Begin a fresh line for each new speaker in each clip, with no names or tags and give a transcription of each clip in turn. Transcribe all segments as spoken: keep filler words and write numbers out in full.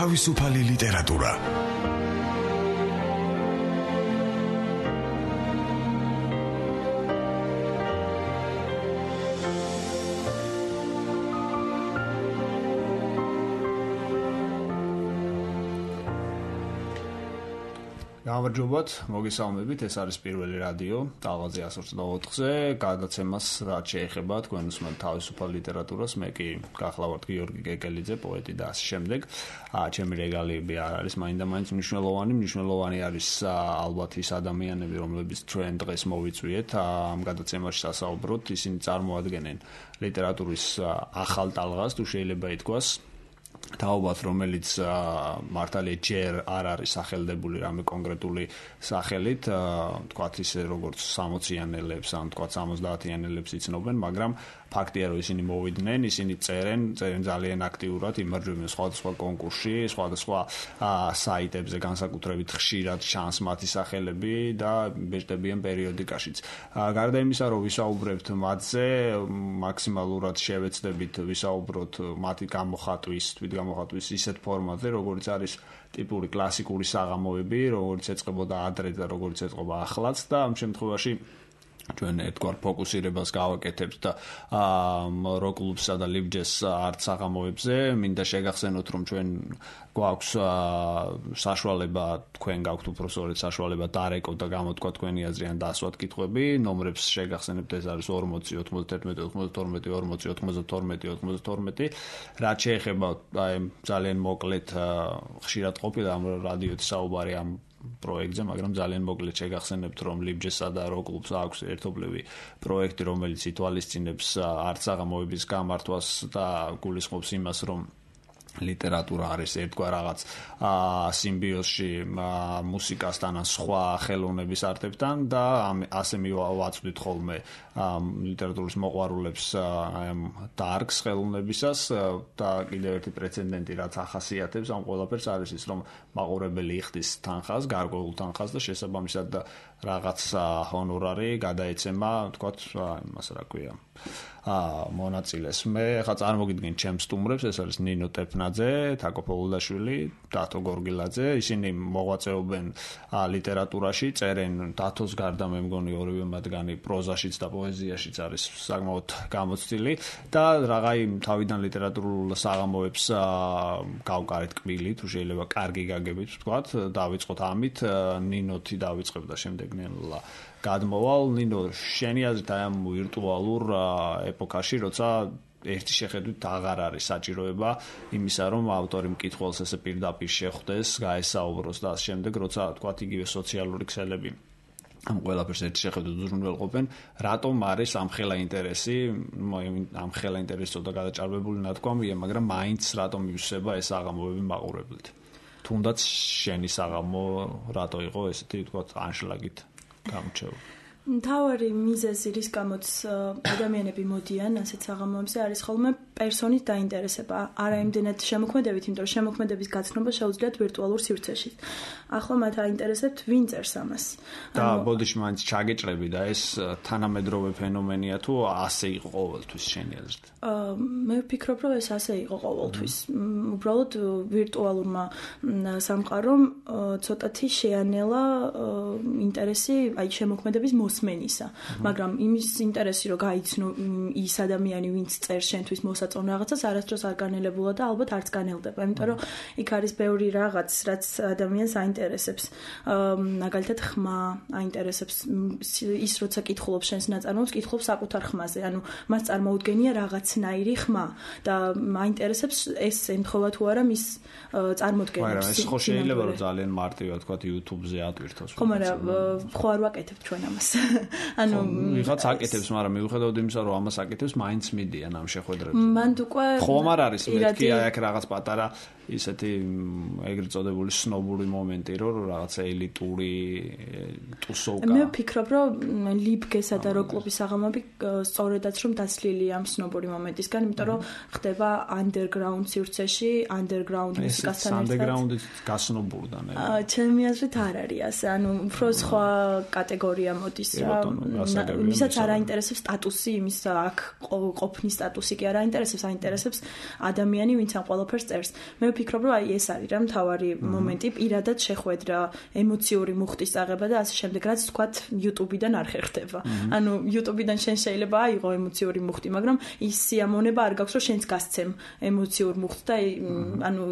თავისუფალი ლიტერატურა.
გამარჯობათ, მოგესალმებით, ეს არის პირველი რადიო ტალღაზე εκατს ოცდაოთხზე, გადაცემას რაც შეეხება თქვენ უსმენთ თავისუფალ ლიტერატურას, მე კი გახლავართ გიორგი გეკელიძე, პოეტი და ასე შემდეგ. ჩემი რეგალიები არ არის მაინდა-მაინც მნიშვნელოვანი, მნიშვნელოვანი არის ალბათ ის ადამიანები, რომლებიც ჩვენ დღეს მოვიწვიეთ ამ გადაცემაში სასაუბროთ, ისინი წარმოადგენენ ლიტერატურის ახალ ტალღას, თუ შეიძლება ითქვას. თაობად, რომელიც მართალია ჯერ არ არის სახელდებული რამე კონკრეტული სახელით, თქვათ ისე როგორც სამოციანელებს ან თქვათ სამოცდაათიანელებს იცნობენ, მაგრამ ფაქტია, რომ ისინი მოვიდნენ, ისინი წერენ, წერენ ძალიან აქტიურად, იმარჯვებენ სხვადასხვა კონკურსში, სხვადასხვა საიტებზე, განსაკუთრებით ხშირად ჩანს მათი სახელები და ბეჭდებიან პერიოდიკაშიც. გარდა იმისა, რომ ვისაუბრებთ მათზე, მაქსიმალურად შევეცდებით ვისაუბროთ მათი გამოხატვის, თვით გამოხატვის ისეთ ფორმატზე, როგორც არის ტიპური კლასიკური საღამოები, როგორც ეწყებოდა ადრე და როგორც ეწყობა ახლაც და ამ შემთხვევაში ჩვენ ერთგვარ ფოკუსირებას გავაკეთებთ და როკ კლუბსა და ლიბჯეს არტ საღამოებზე. მინდა შეგახსენოთ, რომ ჩვენ გვაქვს საშუალება, თქვენ გაქვთ უпроსორეთ საშუალება დარეკოთ და გამოთქვა თქვენი აზრი ან დაასვათ კითხვები. ნომრებს შეგახსენებთ, ეს არის ორმოცი ოცდაერთმეტი ოცდათორმეტი ორმოცი ოცდათორმეტი ოცდათორმეტი. რაც შეეხება აი ძალიან მოკლედ ხშირად ყოფილა ამ რადიოთი საუბარი ამ პროექტზე, მაგრამ ძალიან მოკლედ შეგახსენებთ, რომ ლიბჯესა და როკ კლუბს აქვს ერთობლივი პროექტი, რომელიც ითვალისწინებს არტ საღამოების გამართვას და გულისხმობს იმას, რომ ლიტერატურა არის ერთგვარ რაღაც სიმბიოზში მუსიკასთან ან სხვა ხელოვნების არტებთან და ასე მივაწვდით ხოლმე ლიტერატურის მოყვარულებს ამ დარგს ხელოვნებისას და კიდევ ერთი პრეცედენტი, რაც ახასიათებს ამ ყველაფერს არის ის, რომ მაყურებელი იხდის თანხას, გარკვეულ თანხას და შესაბამისად რაღაც ჰონორარი გადაეცემა, თქვათ, იმას რა ქვია, მონაწილეს. მე ხა წარმოგიდგენ ჩემს სტუმრებს, ეს არის ნინო ტეფნაძე, თაკო ფოლუდაშვილი, დათო გორგილაძე. ისინი მოღვაწეობენ ლიტერატურაში, წერენ დათოს გარდა მე მგონი ორივე მათგანი პროზაშიც და პოეზიაშიც არის საკმაოდ გამოცდილი და რაღაცა თავიდან ლიტერატურულ საღამოებს გავკარეთ კბილი, თუ შეიძლება კარგი გაგებით ვთქვათ, დავიწყოთ ამით, ნინოთი დავიწყებ და შემდეგ ნელა გადმოვალ. ნინო, შენი აზრით აი ამ ვირტუალურ ეპოქაში, როცა ერთი შეხედვით აღარ არის საჭიროება იმისა, რომ ავტორი მკითხველს ესე პირდაპირ შეხვდეს, გაესაუბროს და ამ შემდეგ, როცა თქვათ იგივე სოციალური ქსელები ამ ყველაფერს ერთი შეხედვით უზრუნველყოფენ, რატომ არის ამხელა ინტერესი, ამხელა ინტერესი ცოტა გადაჭარბებული ნათქვამია, მაგრამ მაინც რატომ ივსება ეს საღამოები მაყურებლით? თუნდაც შენი საღამო რატო იყო ესეთი თქვათ ანშლაგით გამჩეულ?
მთავარი მიზეზი, რის გამოც ადამიანები მოდიან ასეთ საღამოებზე, არის ხოლმე პერსონის დაინტერესება. არა იმდენად შემოქმედებით, იმიტომ რომ შემოქმედების გაცნობა შეუძლიათ ვირტუალურ სივრცეში. ახლა მათ აინტერესებთ ვინ წერს ამას.
და ბოდიში მაინც ჩაგეჭრები და ეს თანამედროვე ფენომენია თუ ასე იყო ყოველთვის შენი აზრით?
მე ვფიქრობ, რომ ეს ასე იყო ყოველთვის. უბრალოდ ვირტუალურმა სამყარომ ცოტათი შეანელა ინტერესი აი შემოქმედების მოსმენისა, მაგრამ იმის ინტერესი, რომ გაიცნო ის ადამიანი, ვინც წერს შენთვის მოსაწონ რაღაცას, არასდროს არ განელებულა და ალბათ არც განელდება, იმიტომ რომ იქ არის ბევრი რაღაც, რაც ადამიანს აინტერესებს. მაგალითად, ხმა აინტერესებს, ის როცა კითხულობს შენს ნაწარმოებს, კითხულობს საკუთარ ხმაზე, ანუ მას წარმოუდგენია რაღაცნაირი ხმა და აინტერესებს ეს ემთხვევა თუ არა მის წარმოდგენას.
მაგრამ ეს ხო შეიძლება რომ ძალიან მარტივად თქვა YouTube-ზე ატვირთოს.
ხო, მაგრამ ხო არ ვაკეთებთ ჩვენ ამას. ანუ
ვიღაც აკეთებს, მაგრამ მიუხედავად იმისა, რომ ამას აკეთებს, მაინც მიდიან ამ შეხვედრებზე.
მან უკვე
ხომ არ არის მეთქი აი აქ რაღაც პატარა ისეთი ეგრეთ წოდებული სნობური მომენტი, რომ რაღაცა ელიტური ტუსოვკა.
მე ვფიქრობ, რომ ლიბგესა და როკ კლუბის საღამოები სწორედაც რომ დაცლილია ამ სნობური მომენტისგან, იმიტომ რომ ხდება underground სივრცეში, underground მუსიკასთან ერთად.
underground-ის გასნობურდა ნე.
ჩემი აზრით არ არის ასე, ანუ უფრო სხვა კატეგორია მოდის რა. მისაც არ აინტერესებს სტატუსი, იმის აქ ყოფნის სტატუსი კი არ აინტერესებს, აინტერესებს ადამიანი, ვინც ამ ყველაფერს წერს. მე ვფიქრობ, რომ აი ეს არის რა მთავარი მომენტი, პირადად შეხვედრა, ემოციური მუხტის წაღება და ასე შემდეგ, რაც თქვათ YouTube-დან არ ხერხდება. ანუ YouTube-დან შენ შეიძლება აიღო ემოციური მუხტი, მაგრამ ის სიამოვნება არ გაქვს, რომ შენც გასცემ ემოციურ მუხტს და ანუ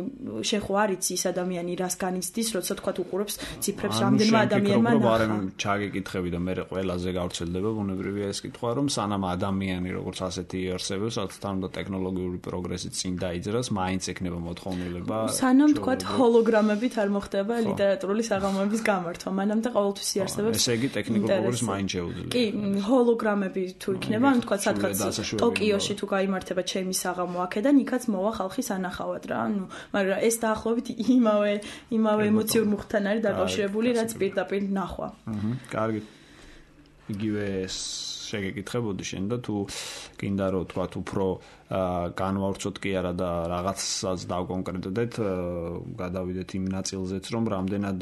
შენ ხო არ იცი ის ადამიანი რას განიცდის, როცა თქვათ უყურებს ციფრებს რამდენმა ადამიანმა ნახა.
ანუ შენ ჩაგეკითხები და მე ყველაზე გავრცელდება ბუნებრივია ეს კითხვა, რომ სანამ ადამიანი როგორც ასეთი იარსებებს, რაც თან და ტექნოლოგიური პროგრესით წინ დაიძრას, მაინც ექნება მოთხოვნილება.
სანამ თქვათ ჰოლოგრამებით არ მოხდება ლიტერატურული საღამოების გამართვა, მანამდე ყოველთვის იარსებებს.
ესე იგი ტექნიკურ პროგრესს მაინც შეუძლია.
კი, ჰოლოგრამები თუ იქნება, ანუ თქვათ სადღაც ტოკიოში თუ გაიმართება ჩემი საღამო აქედან, იქაც მოვა ხალხის ანახავად რა. ანუ მაგრამ ეს დაახლოებით იმავე იმავე ემოციურ მუხტთან არის დაკავშირებული, რაც პირდაპირ ნახვა.
აჰა, კარგი. იგივე შეგეკითხებოდი შენ და თუ კიდე რომ თქვათ უფრო განვავრცოთ კი არა და რაღაცას დავკონკრეტდეთ, გადავიდეთ იმ ნაწილზეც, რომ რამდენად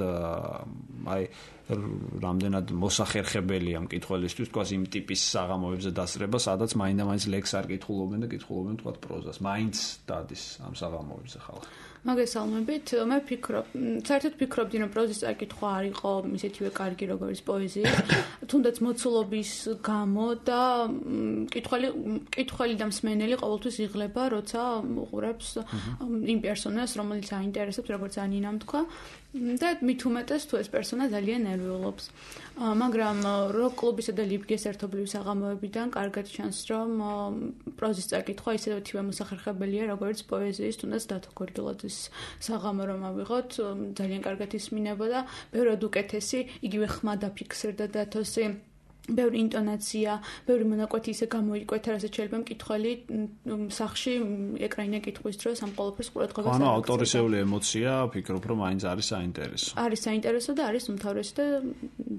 აი რამდენად მოსახერხებელია მკითხველისთვის თქვას იმ ტიპის საღამოებზე დასწრება, სადაც მაინდა-მაინც ლექს არ კითხულობენ და კითხულობენ თქვათ პროზას. მაინც დადის ამ საღამოებზე ხალხი.
მაგესალმებით, მე ვფიქრობ, საერთოდ ვფიქრობდი, რომ პროზის წაკითხვა არ იყო ისეთივე კარგი როგორც პოეზიის, თუნდაც მოცულობის გამო და მკითხველი მკითხველი და მსმენელი ყოველთვის იღლება, როცა უყურებს იმ პერსონაჟს, რომელიც აინტერესებს, როგორც ანინამ თქვა. და მით უმეტეს თუ ეს პერსონა ძალიან ნერვიულობს. მაგრამ როკ კლუბისა და ლიბგეს ერთობლივი საღამოებიდან კარგად ჩანს, რომ პროზის წაკითხვა ისეთივე მოსახერხებელია, როგორც პოეზიის, თუნდაც დათო გორგილაძის საღამო რომ ავიღოთ, ძალიან კარგად ისმინებოდა, ბევრად უკეთესი, იგივე ხმა დაფიქსირდა დათოსი. ბევრი ინტონაცია, ბევრი მონაკვეთი ისე გამოიკვეთა, რასაც შეიძლება მკითხველი სახში ეკრანიდან კითხვის დროს ამ ყოველფერს ყურადღებას
აუქცია. ანუ ავტორისეული ემოცია, ვფიქრობ, რომ მაინც არის საინტერესო.
არის საინტერესო და არის უმთავრესი და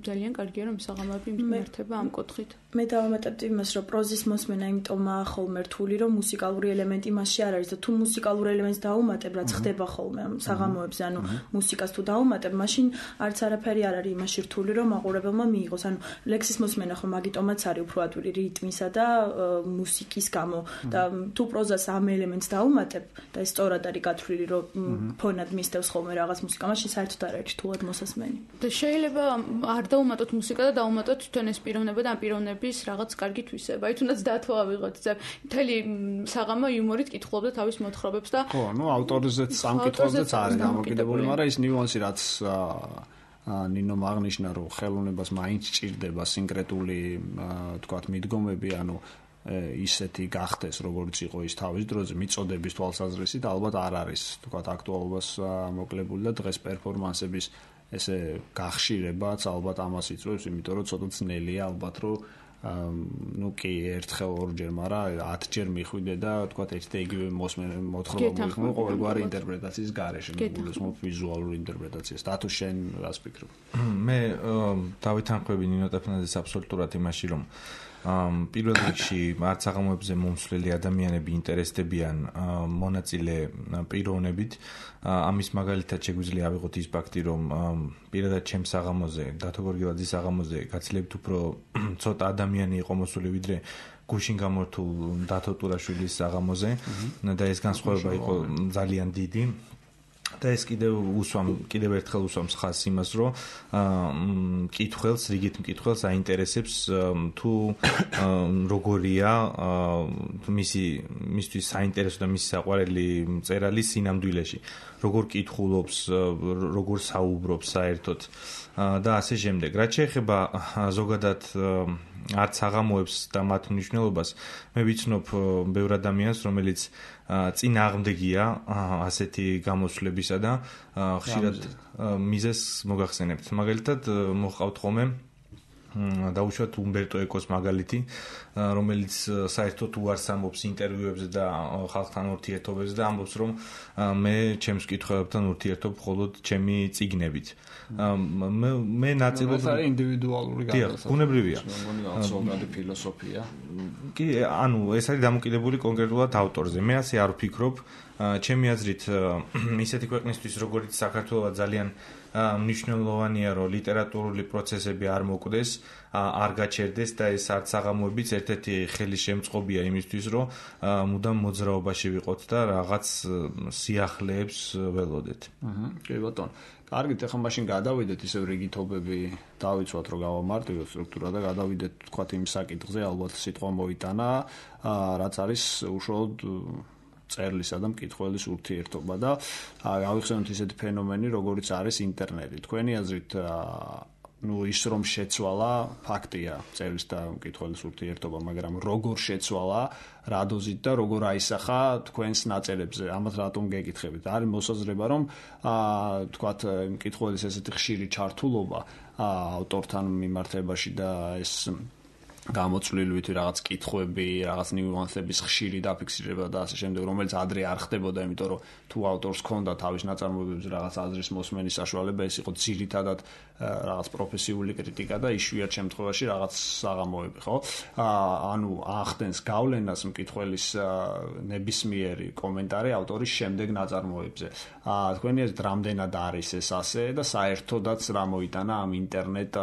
ძალიან კარგია, რომ საღამოები მიმართება ამ კუთხით.
მე დავამატებდი იმას, რომ პროზის მოსმენა იმიტომაა ხოლმე რთული, რომ მუსიკალური ელემენტი მასში არ არის და თუ მუსიკალურ ელემენტს დაუმატებ, რაც ხდება ხოლმე ამ საღამოებზე, ანუ მუსიკას თუ დაუმატებ, მაშინ არც არაფერი არ არის იმაში რთული, რომ მაყურებელმა მიიღოს. ანუ ლექსის მენ ახლა მაგიტომაც არის უფრო ადვილი რიტმისა და მუსიკის გამო და თუ პროზას ამ ელემენტს დაუმატებ და ეს სწორად არის გათვლილი, რომ ფონად მისდევს ხოლმე რაღაც მუსიკა, მაშინ საერთოდ არ არის რთულად მოსასმენი.
და შეიძლება არ დაუმატოთ მუსიკა და დაუმატოთ თვითონ ეს პიროვნება და ამ პიროვნების რაღაც კარგი თვისება. აი თუნდაც დათო ავიღოთ, მთელი საღამო იუმორით კითხულობდა თავის მოთხრობებს და
ხო, ну ავტორზეც ამ კითხვაზეც არის დამოკიდებული, მაგრამ ის ნიუანსი რაც ნინომ აღნიშნა, რომ ხელოვნებას მაინც ჭირდება სინკრეტული, თქვათ, მიდგომები, ანუ ისეთი გახდეს, როგორც იყო ის თავის დროზე, მიწოდების თვალსაზრისით, ალბათ არ არის, თქვათ, აქტუალობას მოკლებული და დღეს პერფორმანსების ესე გახშირებაც ალბათ ამას იწვევს, იმიტომ რომ ცოტა ძნელია ალბათ, რომ ну კი ერთხელ ორჯერ, მაგრამ ათჯერ მიხვიდე და თქვათ ერთ და იგივე მოთხრობა მოიხმო ყოველგვარი ინტერპრეტაციის გარეშე, მოგულისხმობ ვიზუალური ინტერპრეტაციას. და თუ შენ რას ფიქრობ?
მე დავითანხმები ნინო ტეფნაძეს აბსოლუტურად იმაში, რომ პირველ რიგში არც საღამოებზე მომსვლელი ადამიანები ინტერესდებიან მონაწილე პიროვნებით. ამის მაგალითად შეგვიძლია ავიღოთ ის ფაქტი, რომ პირადად ჩემ საღამოზე, დათო გორგილაძის საღამოზე გაცილებით უფრო ცოტა ადამიანი იყო მოსული, ვიდრე გუშინ გამორთულ დათო ტურაშვილის საღამოზე და ეს განსხვავება იყო ძალიან დიდი. და ეს კიდევ უსვამ, კიდევ ერთხელ უსვამს ხაზს იმას, რომ მკითხველს, რიგით მკითხველს აინტერესებს თუ როგორია მისი მისთვის საინტერესო და მისი საყვარელი მწერალი სინამდვილეში, როგორ კითხულობს, როგორ საუბრობს საერთოდ და ასე შემდეგ. რაც შეეხება ზოგადად არც საღამოებს და მათ მნიშვნელობას, მე ვიცნობ ბევრ ადამიანს, რომელიც წინ აღმდეგია ასეთი გამოსვლებისა და ხშირად მიზეს მოგახსენებთ. მაგალითად მოჰყავთ ხოლმე დაუშვათ უმბერტო ეკოს მაგალითი, რომელიც საერთოდ უარს ამბობს ინტერვიუებზე და ხალხთან ურთიერთობებზე და ამბობს, რომ მე ჩემს მკითხველებთან ურთიერთობ მხოლოდ ჩემი წიგნებით. მე ნაწილობრივ
ეს არის ინდივიდუალური
გადასახადი. ბუნებრივია.
ზოგადი ფილოსოფია.
კი, ანუ ეს არის დამოკიდებული კონკრეტულად ავტორზე. მე ასე არ ვფიქრობ. ჩემი აზრით, ისეთი ქვეყნისთვის, როგორც საქართველო ძალიან მნიშვნელოვანია რომ ლიტერატურული პროცესები არ მოკვდეს, არ გაჩერდეს და ეს არც საღამოებიც ერთ-ერთი ხელისშემწყობია იმისთვის, რომ მუდამ მოძრაობაში ვიყოთ და რაღაც სიახლეებს ველოდეთ.
აჰა, კი ბატონო. კარგით, ახლა მაშინ გადავიდეთ ისევ რიგითობები, დავიცვათ რომ გავამარტივოთ სტრუქტურა და გადავიდეთ თქვათ იმ საკითხზე, ალბათ სიტყვა მოიტანა, რაც არის უშუალოდ წერლისა და მკითხველის ურთიერთობა და გავიხსენოთ ისეთი ფენომენი, როგორიც არის ინტერნეტი. თქვენი აზრით ну ის რომ შეცვალა ფაქტია წერლის და მკითხველის ურთიერთობა, მაგრამ როგორ შეცვალა, რა დოზით და როგორ აისახა თქვენს ნაწერებზე, ამათ რატომ გეკითხებით? არის მოსაზრება, რომ აა თქვათ მკითხველის ესეთი ხშირი ჩართულობა ავტორთან მიმართებაში და ეს გამოცვლილივით რაღაც კითხვები, რაღაც ნიუანსების ხშირი დაფიქსირება და ასე შემდეგ, რომელიც ადრე არ ხდებოდა, იმიტომ რომ თუ ავტორს ჰქონდა თავის ნაწარმოებებზე რაღაც აზრის მოსმენის საშუალება, ეს იყო ძირითადად რაღაც პროფესიული კრიტიკა და იშვიათ შემთხვევაში რაღაც საღამოები, ხო? ანუ ახდენს გავლენას მკითხველის ნებისმიერი კომენტარი ავტორის შემდეგ ნაწარმოებზე. თქვენი აზრით, რამდენად არის ეს ასე და საერთოდაც რა მოიტანა ამ ინტერნეტ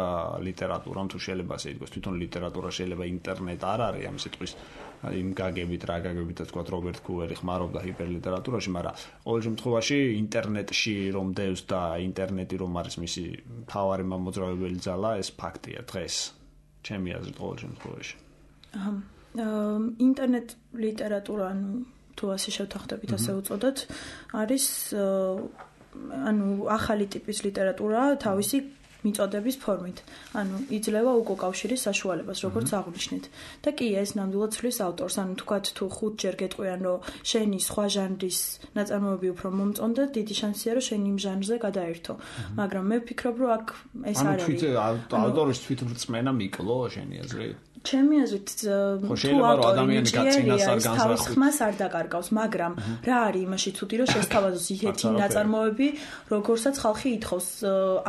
ლიტერატურამ, თუ შეიძლება ასე ითქვას, თვითონ ლიტერატურა შეიძლება ინტერნეტ არ არის ამ სიტყვის იმ გაგებით, რა გაგებით, თქვათ რობერტ კუვერი ხმარობდა ჰიპერლიტერატურაში, მაგრამ ყოველ შემთხვევაში ინტერნეტში რომ დევს და ინტერნეტი რომ არის მისი მთავარი მოძრაობელი ძალა, ეს ფაქტია დღეს. ჩემი აზრით ყოველ შემთხვევაში.
აჰა. ინტერნეტ ლიტერატურა, ანუ თუ ასე შევთანხმდებით, ასე უწოდოთ, არის ანუ ახალი ტიპის ლიტერატურა თავისი მიწოდების ფორმით. ანუ იძლევა უკავშირის საშუალებას, როგორც აღნიშნეთ. და კი ეს ნამდვილად ცვლის ავტორს. ანუ თქვათ თუ ხუთჯერ გეტყვიან, რომ შენი სხვა ჟანრის ნაწარმოები უფრო მომწონდა, დიდი შანსია, რომ შენ იმ ჟანრზე გადაერთო. მაგრამ მე ვფიქრობ, რომ აქ ეს არ არის.
ანუ ავტორის თვითმრწმენა მიკლო შენი აზრით?
ჩემი აზრით, თუ ადამიანი გაწინასარ განსხვავებას არ დაკარგავს, მაგრამ რა არის იმაში ცუდი, რომ შესთავაზოს ისეთი ნაწარმოები, როგორსაც ხალხი ითხოვს.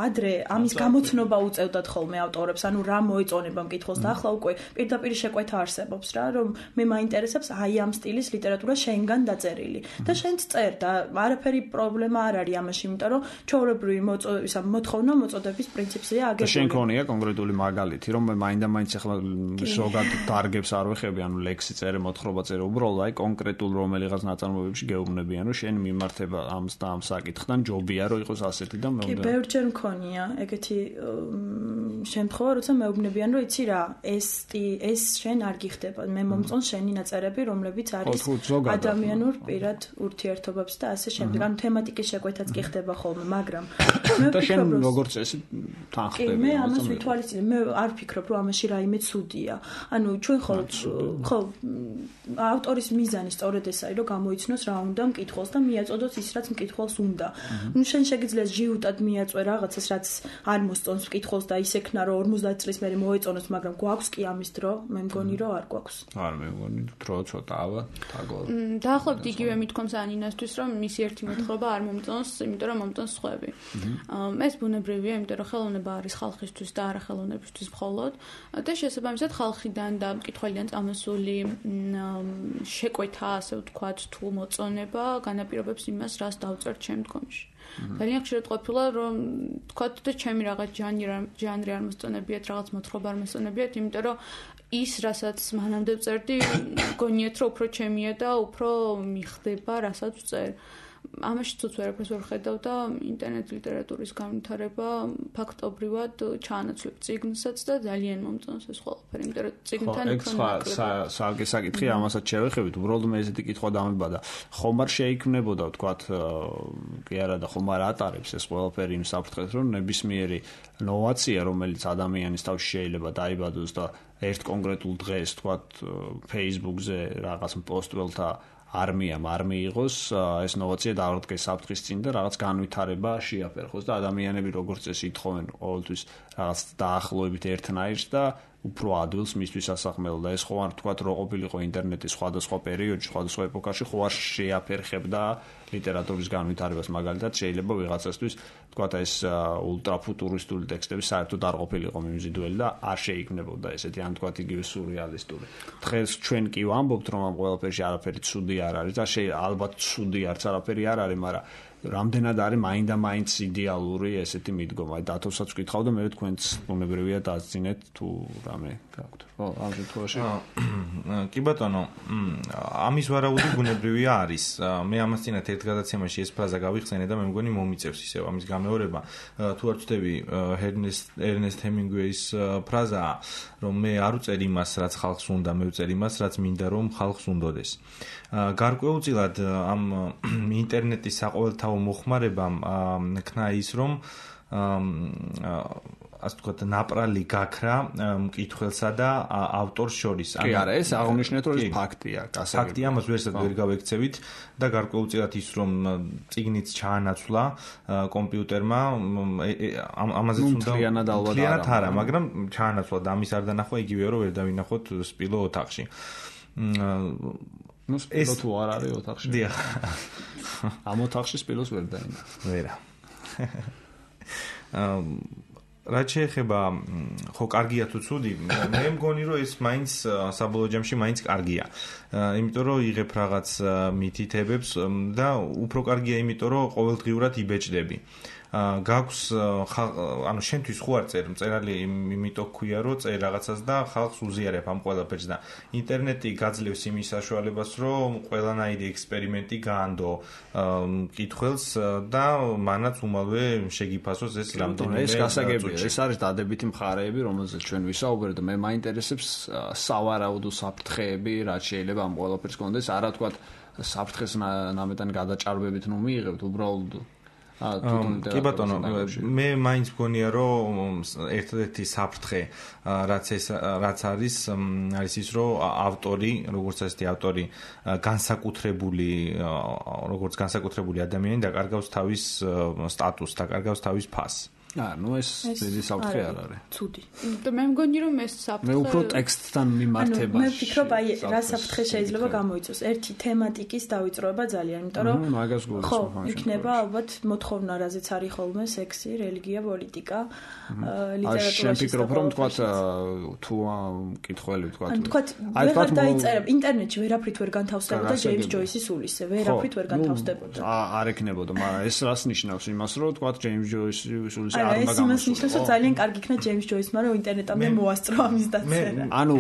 ადრე ამის გამოცნობა უწევდათ ხოლმე ავტორებს, ანუ რა მოეწონება მკითხველს და ახლა უკვე პირდაპირ შეკვეთა არსებობს რა, რომ მე მაინტერესებს აი ამ სტილის ლიტერატურა შენგან დაწერილი. და შენც წერ და არაფერი პრობლემა არ არის ამაში, იმიტომ რომ ჩვეულებრივი ისა მოთხოვნა მოწოდების პრინციპზეა აგებული.
და შენ ქონია კონკრეტული მაგალითი, რომ მე მაინდა-მაინც ახლა ზოგად დარგებს არ ვეხები, ანუ ლექსი წერე, მოთხრობა წერე, უბრალოდ აი კონკრეტულ რომელიღაც ნაწარმოებებში გეუბნებიან, რომ შენ მიმართება ამს და ამ საკითხთან ჯობია, რომ იყოს ასეთი და მე
კი, ბევრჯერ მქონია ეგეთი შემთხვევა, როცა მეუბნებიან, რომ იცი რა, ეს ეს შენ არ გიხდება, მე მომწონს შენი ნაწერები, რომლებიც არის ადამიანურ პირად ურთიერთობებს და ასე შემდეგ. ანუ თემატიკის შეკვეთაც კი ხდება ხოლმე, მაგრამ
მე და შენ როგორც წესი თანხდები.
მე ამას ვითვალისწინებ, მე არ ვფიქრობ, რომ ამაში რაიმე ცუდია. ანუ ჩვენ ხო ხო ავტორის მიზანი სწორედ ეს არის, რომ გამოიცნოს რა უნდა მკითხველს და მიაწოდოს ის, რაც მკითხველს უნდა. ნუ შენ შეგიძლია ჟიუტად მიაწვე რაღაცას, რაც არ მოსწონს მკითხველს და ისექნა, რომ ორმოცდაათი წლის მერე მოეწონოს, მაგრამ გვაქვს კი ამის დრო, მე მგონი, რომ არ გვაქვს.
არ მე მგონი, დრო ცოტაა, თაგო.
დაახლოებით იგივე მithქვამს ანინასთვის, რომ მისი ერთი მოთხრობა არ მომწონს, იმიტომ რომ მომწონს სხვები. ეს ბუნებრივია, იმიტომ რომ ხელოვნება არის ხალხისთვის და არა ხელოვნებისთვის მხოლოდ და შესაბამისად ხალხიდან და მკითხველიდან წამოსული შეკვეთა, ასე ვთქვათ, თუ მოწონება განაპირობებს იმას, რას დავწერთ შემდგომში. ძალიან ხშირად ყოფილა, რომ ვთქვათ და ჩემი რაღაც ჟანრი ჟანრი არ მოსწონებიათ, რაღაც მოთხრობა არ მოსწონებიათ, იმიტომ რომ ის, რასაც მანამდე ვწერდი, გონიათ, რომ უფრო ჩემია და უფრო მიხდება, რასაც ვწერ. ამაში თუც ვერაფერს ვერ ხედავ და ინტერნეტ ლიტერატურის განვითარება ფაქტობრივად ჩაანაცვლებ წიგნსაც და ძალიან მომწონს ეს ყველაფერი, იმიტომ რომ წიგნთან უფრო
საალგე საკითხი ამასაც შევეხებით, უბრალოდ მე ესეთი კითხვა დამებადა. ხომ არ შეიქმნებოდა, ვთქვათ, კი არა და ხომ არ ატარებს ეს ყველაფერი იმ საფრთხეს, რომ ნებისმიერი ნოვაცია, რომელიც ადამიანის თავში შეიძლება დაიბადოს და ერთ კონკრეტულ დღეს, ვთქვათ, Facebook-ზე რაღაც პოსტველთა არმიამ არ მიიღოს, ეს ნოვაცია დაარღვდგეს საფრთხის წინ და რაღაც განვითარება შეაფერხოს და ადამიანები როგორც წესი ითხოვენ ყოველთვის რაღაც დაახლოებით ერთნაირს და უფრო ადვილს მისთვის ასახმელო და ეს ხო არ თქვათ რო ყოფილიყო ინტერნეტის სხვადასხვა პერიოდში, სხვადასხვა ეპოქაში ხო არ შეაფერხებდა ლიტერატურის განვითარებას, მაგალითად შეიძლება ვიღაცასთვის თქვათ ეს ულტრაფუტურისტული ტექსტები საერთოდ არ ყოფილიყო მიმზიდველი და არ შეიქმნებოდა ესეთი ან თქვათ იგივე სურეალისტური. დღეს ჩვენ კი ვამბობთ რომ ამ ყველაფერში არაფერი ცუდი არ არის და ალბათ ცუდი არც არაფერი არ არის, მაგრამ რამდენად არის მაინდა-მაინც იდეალური ესეთი მიდგომა. აი დათოსაც ვკითხავ და მე თქვენც უნებრივია დაძინეთ თუ რამე გაქვთ. ხო, ამ შემთხვევაში.
კი ბატონო, ამის ვარაუდი ბუნებრივია არის. მე ამას წინათ ერთ გადაცემაში ეს ფრაზა გავიხსენე და მე მგონი მომიწევს ისევ ამის გამეორება. თუ არ ვწდები ერნესტ ჰემინგვეის ფრაზაა, რომ მე არ ვწერ იმას, რაც ხალხს უნდა, მე ვწერ იმას, რაც მინდა რომ ხალხს უნდოდეს. გარკვეულწილად ამ ინტერნეტის საყოველთაო მოხმარებამ ქნა ის, რომ ასე ვთქვათ, ნაპრალი გაქრა მკითხველსა და ავტორს შორის.
კი არა, ეს აღნიშნეთ, რომ ეს ფაქტია, გასაგებია.
ფაქტია, ამას ვერსად ვერ გავექცევით და გარკვეულწილად ის, რომ წიგნიც ჩაანაცვლა კომპიუტერმა, ამაზეც უნდა მთლიანად არა, მაგრამ ჩაანაცვლა და ამის არ დანახვა იგივეა, რომ ვერ დავინახოთ სპილო ოთახში.
ნუ სპილო თუ არ არის ოთახში.
დიახ.
ამ ოთახში სპილოს ვერ დაინახა.
ვერა. რაც შეეხება ხო კარგია თუ ცუდი, მე მგონი რომ ეს მაინც საბოლოო ჯამში მაინც კარგია. იმიტომ რომ იღებ რაღაც მითითებებს და უფრო კარგია იმიტომ რომ ყოველდღიურად იბეჭდები. გაქვს ანუ შენთვის ხო არ წერ მწერალი იმიტომ ქვია რომ წერ რაღაცას და ხალხს უზიარებ ამ ყველაფერს და ინტერნეტი გაძლევს იმის საშუალებას რომ ყველანაირი ექსპერიმენტი გაანდო მკითხველს და მანაც უმალვე შეგიფასოს ეს რამდენიმე
ეს გასაგებია ეს არის დადებითი მხარეები რომელზეც ჩვენ ვისაუბრეთ და მე მაინტერესებს სავარაუდო საფრთხეები რაც შეიძლება ამ ყველაფერს კონდეს არა თქვა საფრთხეს ნამეტანი გადაჭარბებით ნუ მიიღებთ უბრალოდ
კი ბატონო, მე მაინც მგონია რომ ერთ-ერთი საფრთხე რაც ეს რაც არის არის ის რომ ავტორი, როგორც ასეთი ავტორი განსაკუთრებული როგორც განსაკუთრებული ადამიანი დაკარგავს თავის სტატუსს, დაკარგავს თავის ფასს.
აა, ნუ ეს დიდი საფრთხე არ არის.
ცუდი.
და მე მგონი რომ ეს საფრთხე
მე უფრო ტექსტთან მიმართებაში.
მე ვფიქრობ აი რა საფრთხე შეიძლება გამოიწვოს. ერთი თემატიკის დავიწროება ძალიან, იმიტომ რომ
მაგას გულისხმობ.
ხო, იქნება ალბათ მოთხოვნა, რაზეც არის ხოლმე სექსი, რელიგია, პოლიტიკა, ლიტერატურაში.
შენ ფიქრობ რომ თქვა თუ მკითხველი თქვა.
ან თქვა აი თქვა დაიწერებ ინტერნეტში ვერაფრით ვერ განთავსდებოდა ჯეიმს ჯოისის სულისზე, ვერაფრით ვერ განთავსდებოდა.
არ ეკნებოდა, მაგრამ ეს რას ნიშნავს იმას რომ თქვა ჯეიმს ჯოისის სულისზე
არა, ეს იმას ნიშნავს, რომ ძალიან კარგი იქნა ჯეიმს ჯოისმა, რომ ინტერნეტამდე მოასწრო ამის დაწერა.
ანუ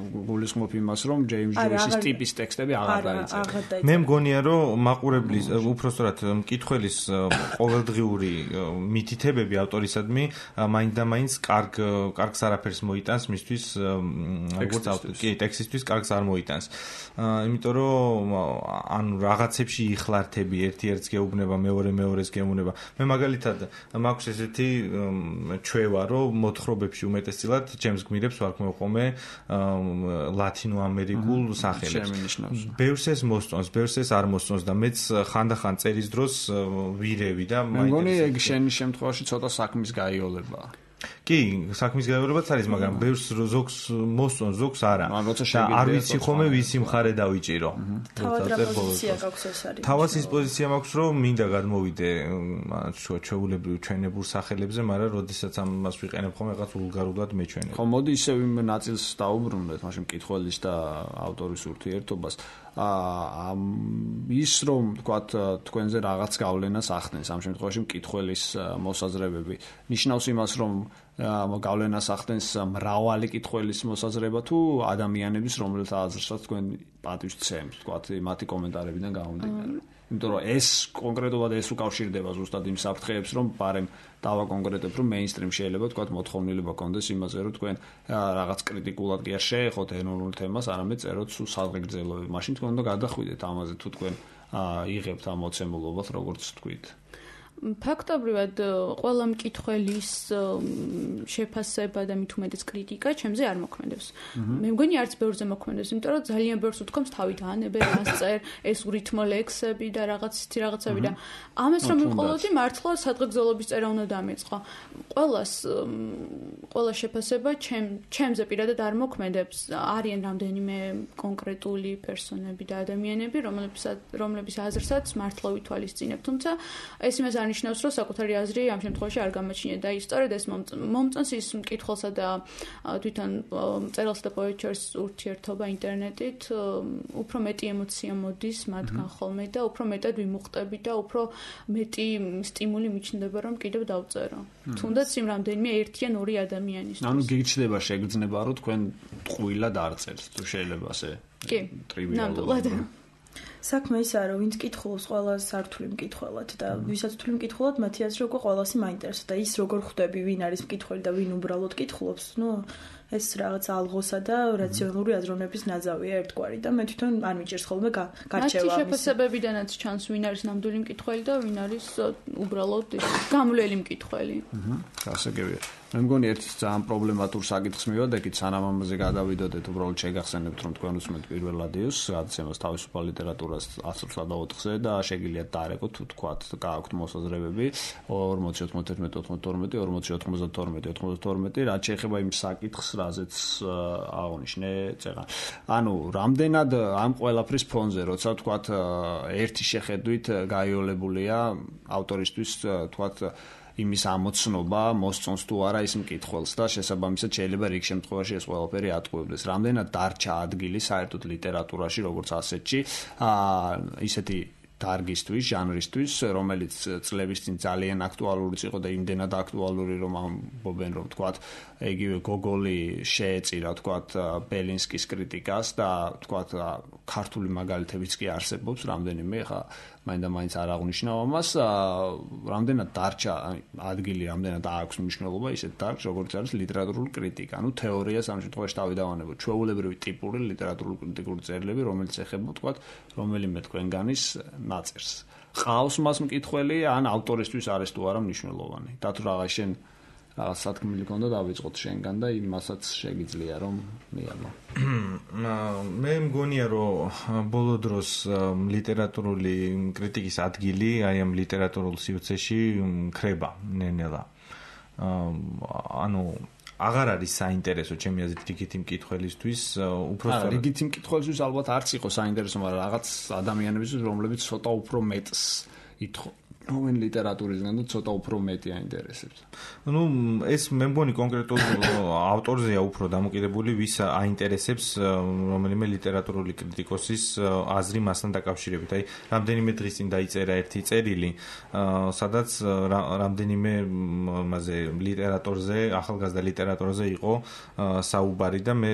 გულისხმობ იმას, რომ ჯეიმს ჯოისის ტიპის ტექსტები აღარ დაიწერა.
მე მგონია, რომ მაყურებლის, უпростоრად მკითხველის ყოველდღიური მითითებები ავტორისადმი მაინდა-მაინც კარგ კარგს არაფერს მოიტანს მისთვის, როგორც კი ტექსტისთვის კარგს არ მოიტანს. იმიტომ რომ ანუ რაღაცებში იხლართები, ერთი-ერთს გეუბნება, მეორე-მეორეს გეუბნება. მე მაგალითად მაქვს ესეთი ჩვევა, რომ მოთხრობებში უმეტესწილად ჩემს გმირებს ვარქმევ ხოლმე ლათინო ამერიკულ სახელებს. ბევრს ეს მოსწონს, ბევრს ეს არ მოსწონს და მეც ხანდახან წერის დროს ვირევი და
მე მგონი ეგ შენი შემთხვევაში ცოტა საქმის გაიოლებაა.
კი, საქმის გაიოლებაც არის, მაგრამ ბევრს ზოგს მოსწონს, ზოგს არა. არ ვიცი ხოლმე ვისი მხარე დავიჭირო.
თავად რა პოზიცია გაქვს ეს არის?
თავად ის პოზიცია მაქვს, რომ მინდა გადმოვიდე ჩვეულებრივ ჩვენებურ სახელებზე, მაგრამ როდესაც ამას ვიყენებ ხოლმე რაღაც ვულგარულად მეჩვენებ.
ხო, მოდი ისევ იმ ნაწილს დაუბრუნდეთ, მაშინ მკითხველის და ავტორის ურთიერთობას. აა ის რომ თქვათ თქვენზე რაღაც გავლენას ახდენს ამ შემთხვევაში მკითხველის მოსაზრებები ნიშნავს იმას რომ გავლენას ახდენს მრავალი მკითხველის მოსაზრება თუ ადამიანების რომელთა აზრსაც თქვენ პატივს ცემთ თქვათ მათი კომენტარებიდან გამომდინარე იმიტომ რომ ეს კონკრეტულად ეს უკავშირდება ზუსტად იმ საფრთხეებს რომ პარემ დავაკონკრეტებ რომ მეინსტრიმ შეიძლება თქვათ მოთხოვნილება კონდეს იმაზე რომ თქვენ რაღაც კრიტიკულად კი არ შეეხოთ ეროვნულ თემას არამედ წეროთ სულ საზღეგრძელოები მაშინ თქვენ უნდა გადახვიდეთ ამაზე თუ თქვენ იღებთ ამ მოცემულობას როგორც თქვით
ფაქტობრივად ყველა მკითხველის შეფასება და მით უმეტეს კრიტიკა ჩემზე არ მოქმედებს. მე მგონი არც ბევრზე მოქმედებს, იმიტომ რომ ძალიან ბევრს უთქვამს თავი დაანებე, რას წერ, ეს რითმო ლექსები და რაღაც ისეთი რაღაცები და ამას რომ მიყოლოდი მართლა სადღეგრძელობის წერა უნდა დამეწყო. ყველას ყველა შეფასება ჩემ ჩემზე პირადად არ მოქმედებს. არიან რამდენიმე კონკრეტული პერსონები და ადამიანები, რომლებსაც რომლების აზრსაც მართლა ვითვალისწინებ, თუმცა ეს იმას არ არნიშნავს, რომ საკუთარი აზრი ამ შემთხვევაში არ გამოჩნია და ის სწორედ ეს მომწონს ის მკითხველსა და თვითონ მწერალსა და პოეტს შორის ურთიერთობა ინტერნეტით, უფრო მეტი ემოცია მოდის მათგან ხოლმე და უფრო მეტად ვიმუხტები და უფრო მეტი სტიმული მიჩნდება, რომ კიდევ დავწერო. თუნდაც იმ რამდენიმე ერთი ან ორი ადამიანის.
ანუ გიჩნდება შეგრძნება, რომ თქვენ ტყუილად არ წერთ, თუ შეიძლება ასე.
კი. ნამდვილად.
საქმე ისაა, რომ ვინც კითხულობს ყველას სართული მკითხველად და ვისაც თვლი მკითხველად, მათი აზრი უკვე ყველასი მაინტერესებს და ის როგორ ხვდები, ვინ არის მკითხველი და ვინ უბრალოდ კითხულობს, ნუ ეს რაღაც ალღოსა და რაციონალური აზროვნების ნაძავია ერთგვარი და მე თვითონ არ მიჭირს ხოლმე გარჩევა.
მათი შეფასებებიდანაც ჩანს, ვინ არის ნამდვილი მკითხველი და ვინ არის უბრალოდ გამვლელი მკითხველი.
აჰა, გასაგებია. მე მგონი ერთ ძალიან პრობლემატურ საკითხს მივადექით, სანამ ამაზე გადავიდოდეთ, უბრალოდ შეგახსენებთ, რომ თქვენ უსმენთ პირველ რადიოს, გადაცემას თავისუფალ ლიტერატურას ასრს და ოთხზე და შეგიძლიათ დაარეკოთ, თუ თქვათ, გააქვთ მოსაზრებები ორმოცი ოთხმოცდაერთმეტი ოცდათორმეტი ორმოცი ოთხმოცდათორმეტი ოცდათორმეტი, რაც შეეხება იმ საკითხს, რაზეც აღნიშნე წეღან. ანუ რამდენად ამ ყველაფრის ფონზე, როცა თქვათ ერთი შეხედვით გაიოლებულია ავტორისთვის, თქვათ იმის ამოცნობა მოსწონს თუ არა ის მკითხველს და შესაბამისად შეიძლება რიგ შემთხვევაში ეს ყველაფერი ატყუებდეს. რამდენად დარჩა ადგილი საერთოდ ლიტერატურაში, როგორც ასეთში, აა ისეთი დარგისთვის, ჟანრისთვის, რომელიც წლების წინ ძალიან აქტუალურიც იყო და იმდენად აქტუალური, რომ ამბობენ, რომ თქვათ, იგივე გოგოლი შეეწირა, თქვათ, ბელინსკის კრიტიკას და თქვათ, ქართული მაგალითებიც კი არსებობს, რამდენიმე, ხა მაინდა-მაინც არ აღნიშნავ ამას, რამდენად დარჩა ადგილი, რამდენად აქვს მნიშვნელობა ისეთ დარგს, როგორც არის ლიტერატურული კრიტიკა. ანუ თეორიას ამ შემთხვევაში დავიდავანებოთ. ჩვეულებრივი ტიპური ლიტერატურული კრიტიკული წერილები, რომელიც ეხება, თქვათ, რომელიმე თქვენგანის ნაწერს. ყავს მას მკითხველი, ან ავტორისთვის არის თუ არა მნიშვნელოვანი. და თუ რაღაც შენ რაღაც სათქმელი ქონდა დავიწყოთ შენგან და იმასაც შეგიძლია რომ მიაღო.
მე მგონია რომ ბოლო დროს ლიტერატურული კრიტიკის ადგილი აი ამ ლიტერატურულ სივრცეში ქრება ნენელა. ანუ აღარ არის საინტერესო ჩემი აზრით რიგითი მკითხველისთვის, უბრალოდ
რიგითი მკითხველისთვის ალბათ არც იყო საინტერესო, მაგრამ რაღაც ადამიანებისთვის, რომლებიც ცოტა უფრო მეტს ითხოვ რომელი ლიტერატურისგან და ცოტა უფრო მეტი აინტერესებს.
ნუ ეს მე მგონი კონკრეტულ ავტორზეა უფრო დამოკიდებული, ვის აინტერესებს რომელიმე ლიტერატურული კრიტიკოსის აზრი მასთან დაკავშირებით. აი, რამდენიმე დღის წინ დაიწერა ერთი წერილი, სადაც რამდენიმე მასე ლიტერატურაზე, ახალგაზრდა ლიტერატურაზე იყო საუბარი და მე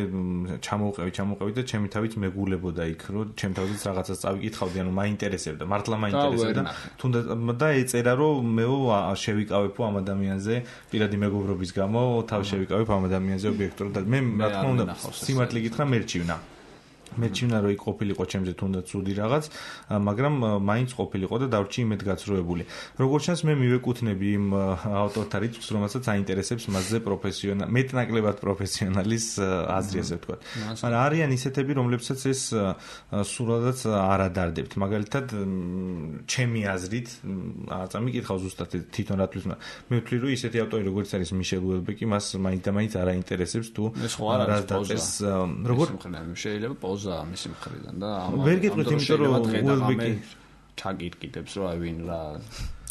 ჩამოვყევი, ჩამოვყევი და ჩემი თავით მეგულებოდა იქ, რომ ჩემ თავზეც რაღაცას წავიკითხავდი, ანუ მაინტერესებდა, მართლა მაინტერესებდა. თუნდაც და ეწერა რომ მეო შევიკავებ ამ ადამიანზე პირადი მეგობრობის გამო თავ შევიკავებ ამ ადამიანზე ობიექტურად და მე რა თქმა უნდა სიმართლე გითხრა მერჩივნა მეჩვენა რომ იქ ყოფილიყო ჩემზე თუნდაც ცუდი რაღაც, მაგრამ მაინც ყოფილიყო და დავრჩი იმედ გაცრუებული. როგორც ჩანს მე მივეკუთვნები იმ ავტორთა რიცხვს, რომელსაც აინტერესებს მასზე პროფესიონალი, მეტნაკლებად პროფესიონალის აზრი, ასე ვთქვათ. მაგრამ არიან ისეთები, რომლებსაც ეს სულადაც არ ადარდებთ. მაგალითად, ჩემი აზრით, წამიკითხავ ზუსტად თვითონ რატთვის, მე ვთვლი, რომ ისეთი ავტორი, როგორც არის მიშელ უელბეკი, მას მაინც და მაინც არ აინტერესებს თუ
რა დაწერს, როგორ შეიძლება პოზა მისი მხრიდან და
ამ ვერ გეტყვით, იმიტომ რომ უელბეკი
ჩაგირკიტებს, რომ აი ვინ რა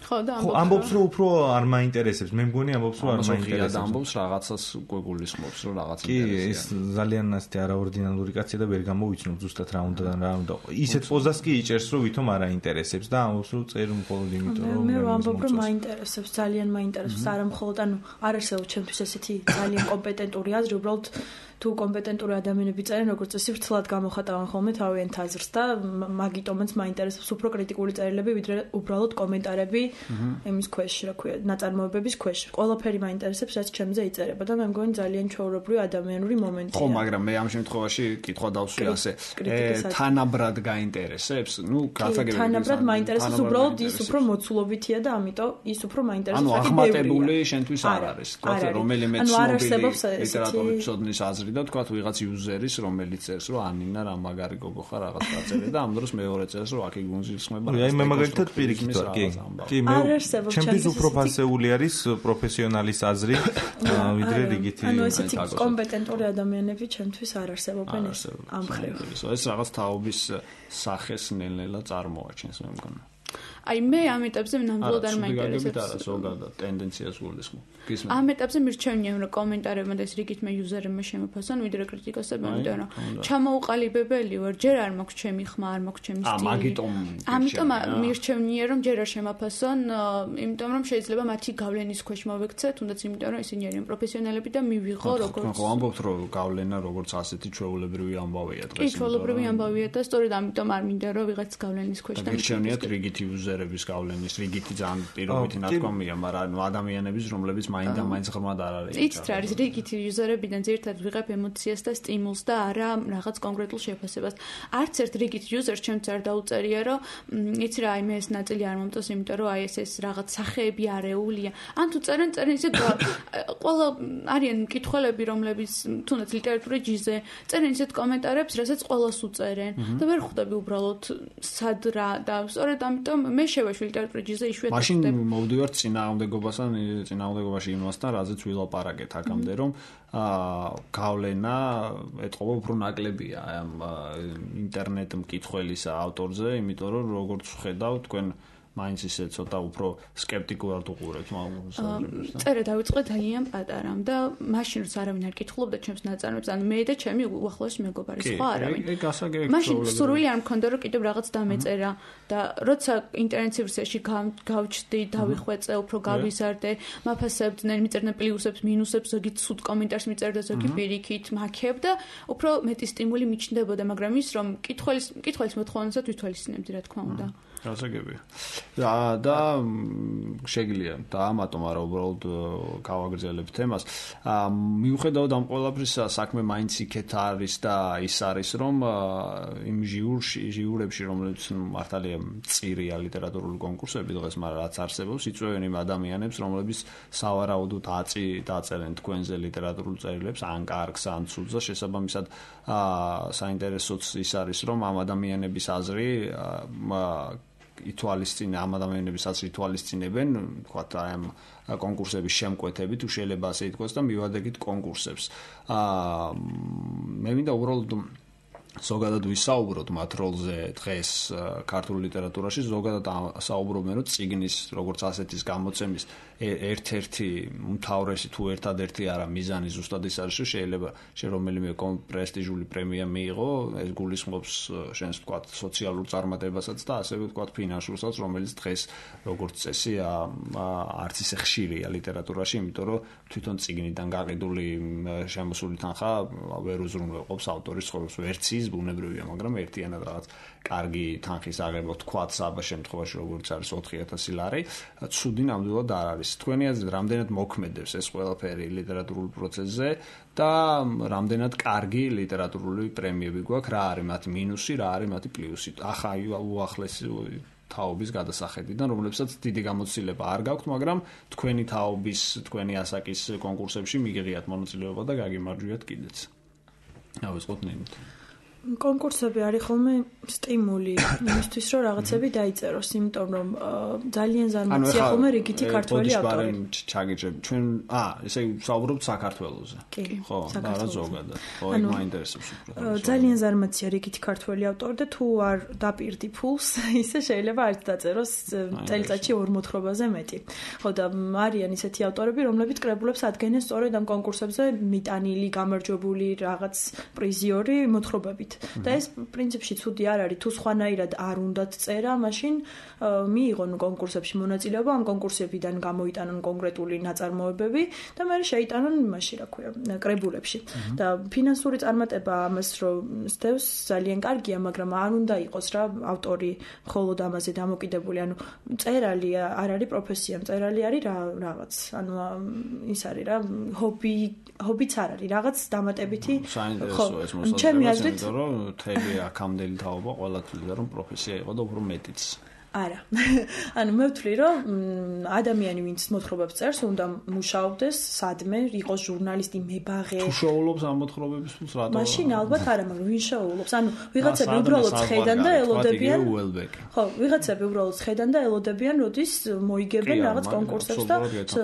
ხო და
ამბობს რომ უფრო არ მაინტერესებს. მე მგონი ამბობს რომ არ მაინტერესებს.
ამბობს რაღაცას უკვე გულისხმობს რომ რაღაც
კი, ეს ძალიან ასეთი არაორდინალური კაცია და ვერ გამოვიცნობ ზუსტად რა უნდა და რა უნდა. ისეთ პოზას კი იჭერს რომ ვითომ არ აინტერესებს და ამბობს რომ წერ მხოლოდ იმიტომ რომ
მე ვამბობ რომ მაინტერესებს, ძალიან მაინტერესებს, არა მხოლოდ ანუ არ არსებობს ჩემთვის ესეთი ძალიან კომპეტენტური აზრი, უბრალოდ თუ კომპეტენტური ადამიანები წერენ, როგორც წესი ვრცლად გამოხატავენ ხოლმე თავიანთ აზრს და მაგიტომაც მაინტერესებს უფრო კრიტიკული წერილები, ვიდრე უბრალოდ კომენტარები იმის ქვეშ, რა ქვია, ნაწარმოებების ქვეშ. ყველაფერი მაინტერესებს, რაც ჩემზე იწერება და მე მგონი ძალიან ჩვეულებრივი ადამიანური მომენტია.
ხო, მაგრამ მე ამ შემთხვევაში კითხვა დავსვი ასე, თანაბრად გაინტერესებს? ნუ გასაგებია.
თანაბრად მაინტერესებს, უბრალოდ ის უფრო მოცულობითია და ამიტომ ის უფრო მაინტერესებს.
ანუ ახმატებული შენთვის არ არის. თქვა რომელიმე ცნობილი ლიტერატურის მცოდნის აზრი და თქვა ვიღაც იუზერის, რომელიც წერს, რომ ანინა რა მაგარი გოგო ხარ რაღაც დაწერე და ამ დროს მეორე წერს, რომ აქ იგუნზილსხმება.
აი მე მაგალითად პირიქით ვარ, კი. კი, მე ჩემთვის უფრო ფასეული არის პროფესიონალის აზრი, ვიდრე რიგითი.
ანუ ესეთი კომპეტენტური ადამიანები ჩემთვის არ არსებობენ ამ მხრივ.
ეს რაღაც თაობის სახეს ნელ-ნელა წარმოაჩენს, მე მგონი.
აი მე ამ ეტაპზე ნამდვილად არ მაინტერესებს.
არა, ზოგადად ტენდენციას გულისხმობ.
ამ ეტაპზე მირჩევნია რომ კომენტარებმა და ეს რიგით მე იუზერებმა შემოფასონ ვიდრე კრიტიკოსებმა, იმიტომ რომ ჩამოუყალიბებელი ვარ, ჯერ არ მაქვს ჩემი ხმა, არ მაქვს ჩემი სტილი.
ამიტომ
ამიტომ მირჩევნია რომ ჯერ არ შემოფასონ, იმიტომ რომ შეიძლება მათი გავლენის ქვეშ მოვექცე, თუნდაც იმიტომ რომ ისინი არიან პროფესიონალები და მივიღო როგორც
ხო ამბობთ რომ გავლენა როგორც ასეთი ჩვეულებრივი ამბავია დღეს.
კი, ჩვეულებრივი ამბავია და სწორედ ამიტომ არ მინდა რომ ვიღაც გავლენის ქვეშ და
მირჩევნიათ რიგითი იუზერების გავლენის, რიგითი ძალიან პირობითი ნათქვამია, მაგრამ ადამიანების რომლებიც მაინც და მაინც ღრმად არ არის.
იცით რა არის რიგითი იუზერებიდან ძირითადად ვიღებ ემოციას და სტიმულს და არა რაღაც კონკრეტულ შეფასებას. არც ერთ რიგით იუზერს ჩემც არ დაუწერია რომ იცი რა აი მე ეს ნაწილი არ მომწონს, იმიტომ რომ აი ეს ეს რაღაც სახეები არეულია. ან თუ წერენ წერენ ისე ყველა არიან მკითხველები რომლებიც თუნდაც ლიტერატურის ჯიზე წერენ ისეთ კომენტარებს, რასაც ყველას უწერენ და ვერ ხვდები უბრალოდ სად რა და სწორედ ამიტომ მე შევეშვი ლიტერატურის ჯიზე იშვიათად
მაშინ მოვდივართ წინააღმდეგობასთან წინააღმდეგობაში იმასთან, რაზეც ვილაპარაკეთ აქამდე, რომ აა გავლენა ეთყობა უფრო ნაკლებია ამ ინტერნეტ მკითხველის ავტორზე, იმიტომ რომ როგორც ვხედავ თქვენ მაინც ისე ცოტა უფრო სკეპტიკულად უყურებთ მაგას.
წერა დავიწყე ძალიან პატარამ და მაშინ როცა არავინ არ კითხულობდა ჩემს ნაწარმოებს, ანუ მე და ჩემი უახლოესი მეგობარი, სხვა არავინ.
კი, გასაგებია.
მაშინ სურვილი არ მქონდა რომ კიდევ რაღაც დამეწერა და როცა ინტენსივ ვერსიაში გავჩდი, დავიხვეწე, უფრო გავიზარდე, მაფასებდნენ, მიწერდნენ პლუსებს, მინუსებს, ზოგი ცუდ კომენტარს მიწერდა, ზოგი პირიქით, მაქებ და უფრო მეტი სტიმული მიჩნდებოდა, მაგრამ ის რომ კითხველის კითხველის მოთხოვნასაც ვითვალისწინებდი, რა თქმა უნდა.
გასაგებია. და და შეგიძლია დაამატომ არა უბრალოდ გავაგრძელებ თემას. აა მიუხედავად ამ ყველაფრისა საქმე მაინც იქეთ არის და ის არის რომ იმ ჟიურში ჟიურებში რომლებიც მართალია მწირია ლიტერატურული კონკურსები დღეს, მაგრამ რაც არსებობს იწვევენ იმ ადამიანებს რომლებიც სავარაუდოდ აწი დაწერენ თქვენზე ლიტერატურულ წერილებს ან კარგს ან ცუდს და შესაბამისად აა საინტერესოც ის არის რომ ამ ადამიანების აზრი აა ითვალისწინებენ ამ ადამიანების აზრი ითვალისწინებენ, თქვათ აი ამ კონკურსების შემკვეთებით, თუ შეიძლება ასე ითქვას და მივადგეთ კონკურსებს. აა მე მინდა უბრალოდ ზოგადად ვისაუბროთ მათ როლზე დღეს ქართულ ლიტერატურაში, ზოგადად საუბრობენ რომ წიგნის როგორც ასეთის გამოცემის ერთ-ერთი უმთავრესი თუ ერთადერთი არა მიზანი ზუსტად ის არის, რომ შეიძლება შე რომელიმე პრესტიჟული პრემია მიიღო, ეს გულისხმობს შენს თქვათ სოციალურ წარმატებასაც და ასევე თქვათ ფინანსურსაც, რომელიც დღეს როგორც წესი არც ისე ხშირია ლიტერატურაში, იმიტომ რომ თვითონ წიგნიდან გაყიდული შემოსული თანხა ვერ უზრუნველყოფს ავტორის ცხოვრებას, ვერც ის ბუნებრივია, მაგრამ ერთიანად რაღაც კარგი თანხის აღება თქვათ საბა შემთხვევაში როგორც არის ოთხი ათასი ლარი, ცუდი ნამდვილად არ არის. თქვენი აზრით რამდენად მოქმედებს ეს ყველაფერი ლიტერატურულ პროცესზე და რამდენად კარგი ლიტერატურული პრემიები გვაქვს, რა არის მათი მინუსი, რა არის მათი პლუსი. ახლა უახლესი თაობის გადასახედიდან, რომლებსაც დიდი გამოცდილება არ გაქვთ, მაგრამ თქვენი თაობის, თქვენი ასაკის კონკურსებში მიგიღიათ მონაწილეობა და გაგიმარჯვიათ კიდეც. ავიწყოთ ნინით.
კონკურსები არის ხოლმე სტიმული იმისთვის, რომ რაღაცები დაიწეროს, იმიტომ რომ ძალიან ზარმაცია ხოლმე რიგითი ქართველი ავტორი.
ჩაგიჭრებ ჩვენ, აა, ესე ვსაუბრობთ საქართველოზე. ხო, და რა ზოგადად. ხო, იქ მაინტერესებს უფრო.
ძალიან ზარმაცია რიგითი ქართველი ავტორი და თუ არ დაპირდი ფულს, ისე შეიძლება არც დაწეროს წელიწადში ორ მოთხრობაზე მეტი. ხო და არიან ისეთი ავტორები, რომლებიც კრებულებს ადგენენ სწორედ ამ კონკურსებზე მიტანილი, გამარჯვებული რაღაც პრიზიორი მოთხრობებით. და ეს პრინციპში ცუდი არ არის, თუ სხვანაირად არ უნდათ წერა, მაშინ მიიღონ კონკურსებში მონაწილეობა, ამ კონკურსებიდან გამოიტანონ კონკრეტული ნაწარმოებები და მე შეიტანონ იმაში, რა ქვია, კრებულებში. და ფინანსური წარმატება ამას რომ სდევს ძალიან კარგია, მაგრამ არ უნდა იყოს რა ავტორი მხოლოდ ამაზე დამოკიდებული, ანუ წერალი არ არის პროფესია, წერალი არის რა რაღაც, ანუ ის არის რა, ჰობი, ჰობიც არ არის, რაღაც დამატებითი.
ხო,
ჩემი აზრით
თელი აქამდელი თაობა ყველა თვლიდა რომ პროფესია იყო და უფრო მეტიც.
არა. ანუ მე ვთვლი რომ ადამიანი ვინც მოთხრობებს წერს, უნდა მუშაობდეს სადმე, იყოს ჟურნალისტი, მებაღე.
თუ შოულობს ამ მოთხრობების ფულს რატო?
მაშინ ალბათ არა, მაგრამ ვინ შოულობს? ანუ ვიღაცები უბრალოდ ხედან და ელოდებიან. ხო, ვიღაცები უბრალოდ ხედან და ელოდებიან, როდის მოიგებენ რაღაც კონკურსებს და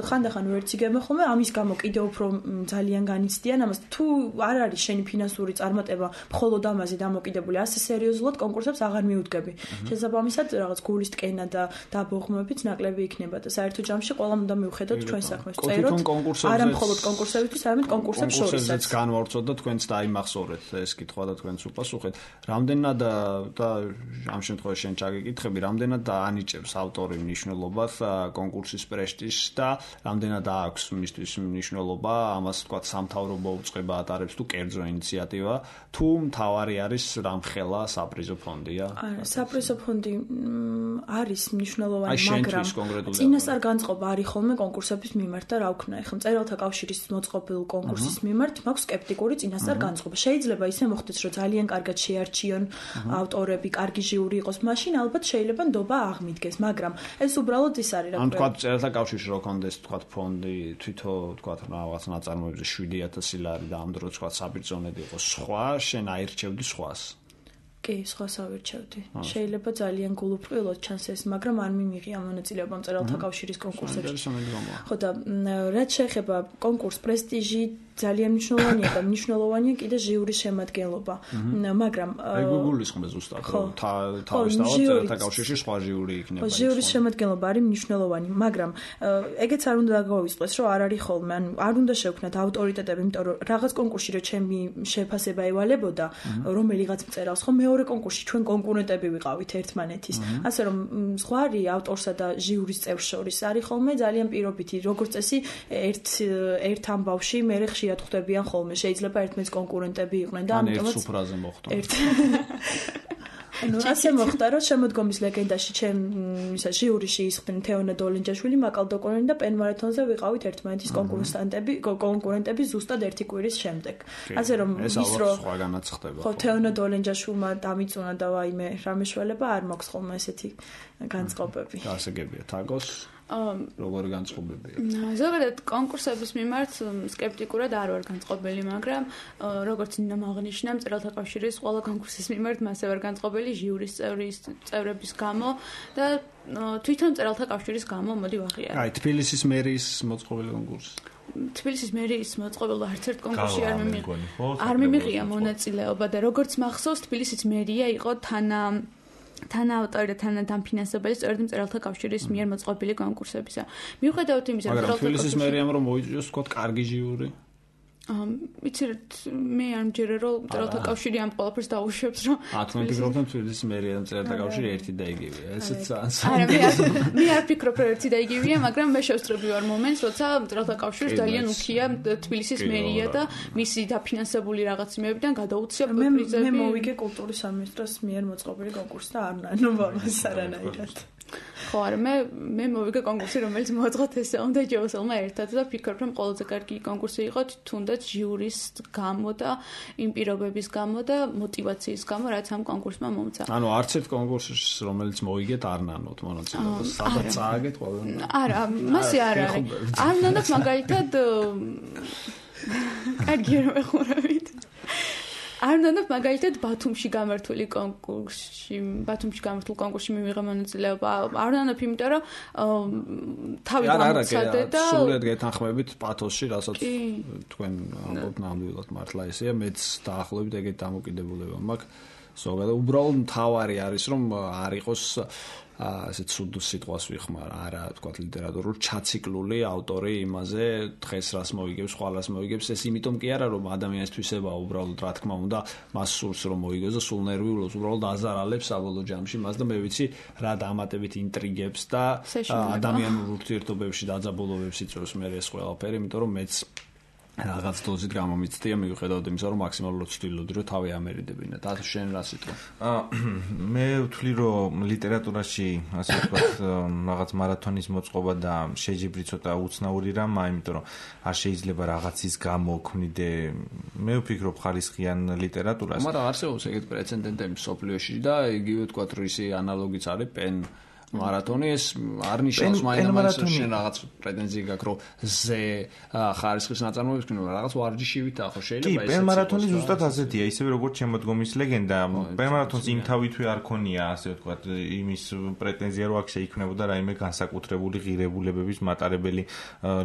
ხანდახან ვერც იგებენ ხოლმე, ამის გამო კიდევ უფრო ძალიან განიცდიან ამას. თუ არ არის შენი ფინანსური წარმატება მხოლოდ ამაზე დამოკიდებული, ასე სერიოზულად კონკურსებს აღარ მიუდგები. შესაბამისად, რაღაც სრული ტკენა და დაბოღმებით ნაკლები იქნება და საერთო ჯამში ყველამ უნდა მივხედოთ ჩვენ საქმეს. წეროთ არა მხოლოდ კონკურსებისთვის, არამედ კონკურსებს შორისაც.
კონკურსებს განვარცოთ და თქვენც დაიმახსოვრეთ ეს კითხვა და თქვენც უპასუხეთ. რამდენად და ამ შემთხვევაში შენ ჩაგეკითხები, რამდენად ანიჭებს ავტორი მნიშვნელობას კონკურსის პრესტიჟს და რამდენად აქვს მისთვის მნიშვნელობა ამას თქვა სამთავრობო უწყება ატარებს თუ კერძო ინიციატივა თუ მთავარი არის რამხელა საპრიზო ფონდია?
არა, საპრიზო ფონდი არის მნიშვნელოვანი, მაგრამ წინასწარ განწყობა არის ხოლმე კონკურსების მიმართ და რა ვქნა, ეხლა მწერალთა კავშირის მოწყობილ კონკურსის მიმართ მაქვს სკეპტიკური წინასწარ განწყობა. შეიძლება ისე მოხდეს, რომ ძალიან კარგად შეარჩიონ ავტორები, კარგი ჟიური იყოს, მაშინ ალბათ შეიძლება ნდობა აღმიდგეს, მაგრამ ეს უბრალოდ ის არის რა.
ან თქვა მწერალთა კავშირში რო კონდეს თქვა ფონდი თვითო თქვა რაღაც ნაწარმოებზე შვიდი ათასი ლარი და ამ დროს თქვა საბრძონედ იყოს სხვა, შენ აირჩევდი სხვას.
კი, სხვას ავირჩევდი. შეიძლება ძალიან გულუბრყვილოდ ჩანს ეს, მაგრამ არ მიმიღია მონაწილეობა მწერალთა კავშირის კონკურსებში. ხო და რაც შეეხება კონკურს პრესტიჟი ძალიან მნიშვნელოვანია და მნიშვნელოვანია კიდე ჟიურის შემადგენლობა. მაგრამ
აი გუგულის ხმე ზუსტად რომ თავის თავად კავშირში სხვა ჟიური იქნება.
ხო, ჟიურის შემადგენლობა არის მნიშვნელოვანი, მაგრამ ეგეც არ უნდა გაგვისწროს, რომ არ არის ხოლმე, ანუ არ უნდა შევქნათ ავტორიტეტები, იმიტომ რომ რაღაც კონკურსში რომ ჩემი შეფასება ევალებოდა, რომელიღაც მწერალს, ხო მეორე კონკურსში ჩვენ კონკურენტები ვიყავით ერთმანეთის. ასე რომ ზღვარი ავტორსა და ჟიურის წევრს შორის არის ხოლმე ძალიან პირობითი, როგორც წესი ერთ ერთ ამბავში მე ხშირად ხვდებიან ხოლმე, შეიძლება ერთმანეთის კონკურენტები იყვნენ და
ამიტომაც ერთ სუფრაზე მოხდა.
ანუ ასე მოხდა, რომ შემოდგომის ლეგენდაში ჩემ ისა ჟიურიში ისხდნენ თეონა დოლინჯაშვილი, მაკალ დოკონენი და პენ მარათონზე ვიყავით ერთმანეთის კონკურსანტები, კონკურენტები ზუსტად ერთი კვირის შემდეგ. ასე რომ
ის რომ სხვაგანაც ხდება.
ხო, თეონა დოლინჯაშვილმა დამიწუნა და ვაიმე რამეშველება არ მაქვს ხოლმე ესეთი განწყობები.
გასაგებია თაგოს როგორი განწყობებია?
ზოგადად კონკურსების მიმართ სკეპტიკურად არ ვარ განწყობილი, მაგრამ როგორც ნინომ აღნიშნა, მწერალთა კავშირის ყველა კონკურსის მიმართ მასე ვარ განწყობილი ჟიურის წევრის წევრების გამო და თვითონ მწერალთა კავშირის გამო მოდი ვაღიარო.
აი, თბილისის მერიის მოწყობილი კონკურსი.
თბილისის მერიის მოწყობილ არც ერთ კონკურსში არ მიმიღია. არ მიმიღია მონაწილეობა და როგორც მახსოვს, თბილისის მერია იყო თანა თანაავტორი და თანადამფინანსებელი სწორედ მწერალთა კავშირის მიერ მოწყობილი კონკურსებისა. მიუხედავად იმისა,
რომ თბილისის მერიამ რომ მოიწვიოს თქვა კარგი ჟიური.
იცით, მე არ მჯერე რომ მწერალთა კავშირი ამ ყველაფერს დაუშვებს, რომ
ათმე ფიქრობ, რომ თბილისის მერია და მწერალთა კავშირი ერთი და იგივეა. ესეც
არა, მე არ ფიქრობ, რომ ერთი და იგივეა, მაგრამ მე შევსწრები ვარ მომენტს, როცა მწერალთა კავშირს ძალიან უქია თბილისის მერია და მისი დაფინანსებული რაღაც იმებიდან გადაუცია პრიზები.
მე მოვიგე კულტურის სამინისტროს მიერ მოწყობილი კონკურსი და არ ნანუბამას არანაირად.
ხო, არა, მე მე მოვიგე კონკურსი, რომელიც მოაწყო თესელმა და ჯოსელმა ერთად და ფიქრობ, რომ ყველაზე კარგი კონკურსი იყო თუნდაც ჟიურის გამო და იმ პირობების გამო და мотиваციის გამო, რაც ამ კონკურსმა მომცა.
ანუ არც ერთ კონკურსს, რომელიც მოიგეთ, არ ნანოთ მონაწილეობას. სადაც წააგეთ ყველა.
არა, მასე არ არის. არ ნანოთ მაგალითად კარგი რომ ეხურავით. არ ნანოთ მაგალითად ბათუმში გამართული კონკურსში, ბათუმში გამართულ კონკურსში მივიღე მონაწილეობა. არ ნანოთ, იმიტომ რომ თავი გამოცადე და
სულად გეთანხმებით პათოსში, რასაც თქვენ ამბობთ ნამდვილად მართლა ესეა, მეც დაახლოებით ეგეთ დამოკიდებულება მაქვს. ზოგადად უბრალოდ მთავარი არის რომ არ იყოს ასე ცუდ სიტყვას ვიხმარ, არა თქვა ლიტერატურულ ჩაციკლული ავტორი იმაზე დღეს რას მოიგებს, ხვალ რას მოიგებს, ეს იმიტომ კი არა რომ ადამიანის თვისება უბრალოდ რა თქმა უნდა მას სურს რომ მოიგოს და სულ ნერვიულობს, უბრალოდ აზარალებს საბოლოო ჯამში მას და მე ვიცი რა დამატებით ინტრიგებს და ადამიანურ ურთიერთობებში დაძაბულობებს იწვევს მე ეს ყველაფერი, იმიტომ რომ მეც რაღაც დოზით გამომიცდია მიუხედავად იმისა, რომ მაქსიმალურად ვცდილობდი, რომ თავი ამერიდებინა. და შენ რა სიტყვა?
მე ვთვლი, რომ ლიტერატურაში, ასე ვთქვათ, რაღაც მარათონის მოწყობა და შეჯიბრი ცოტა უცნაური რამაა, იმიტომ რომ არ შეიძლება რაღაცის გამო ქმნიდე, მე ვფიქრობ ხარისხიან ლიტერატურას.
მაგრამ არსებობს ეგეთ პრეცედენტები მსოფლიოში და იგივე ვთქვათ, რისი ანალოგიც არის პენ მარათონი ეს არ ნიშნავს მაინც შენ რაღაც პრეტენზია გაქვს რომ ზე ხარისხის ნაწარმოებებს კი რაღაც ვარჯიშივით ახო შეიძლება
ეს კი პენ-მარათონი ზუსტად ასეთია ისევე როგორც შემოდგომის ლეგენდა პენ-მარათონს იმ თავითვე არ ქონია ასე ვთქვათ იმის პრეტენზია რომ აქ შეიქმნებოდა რაიმე განსაკუთრებული ღირებულებების მატარებელი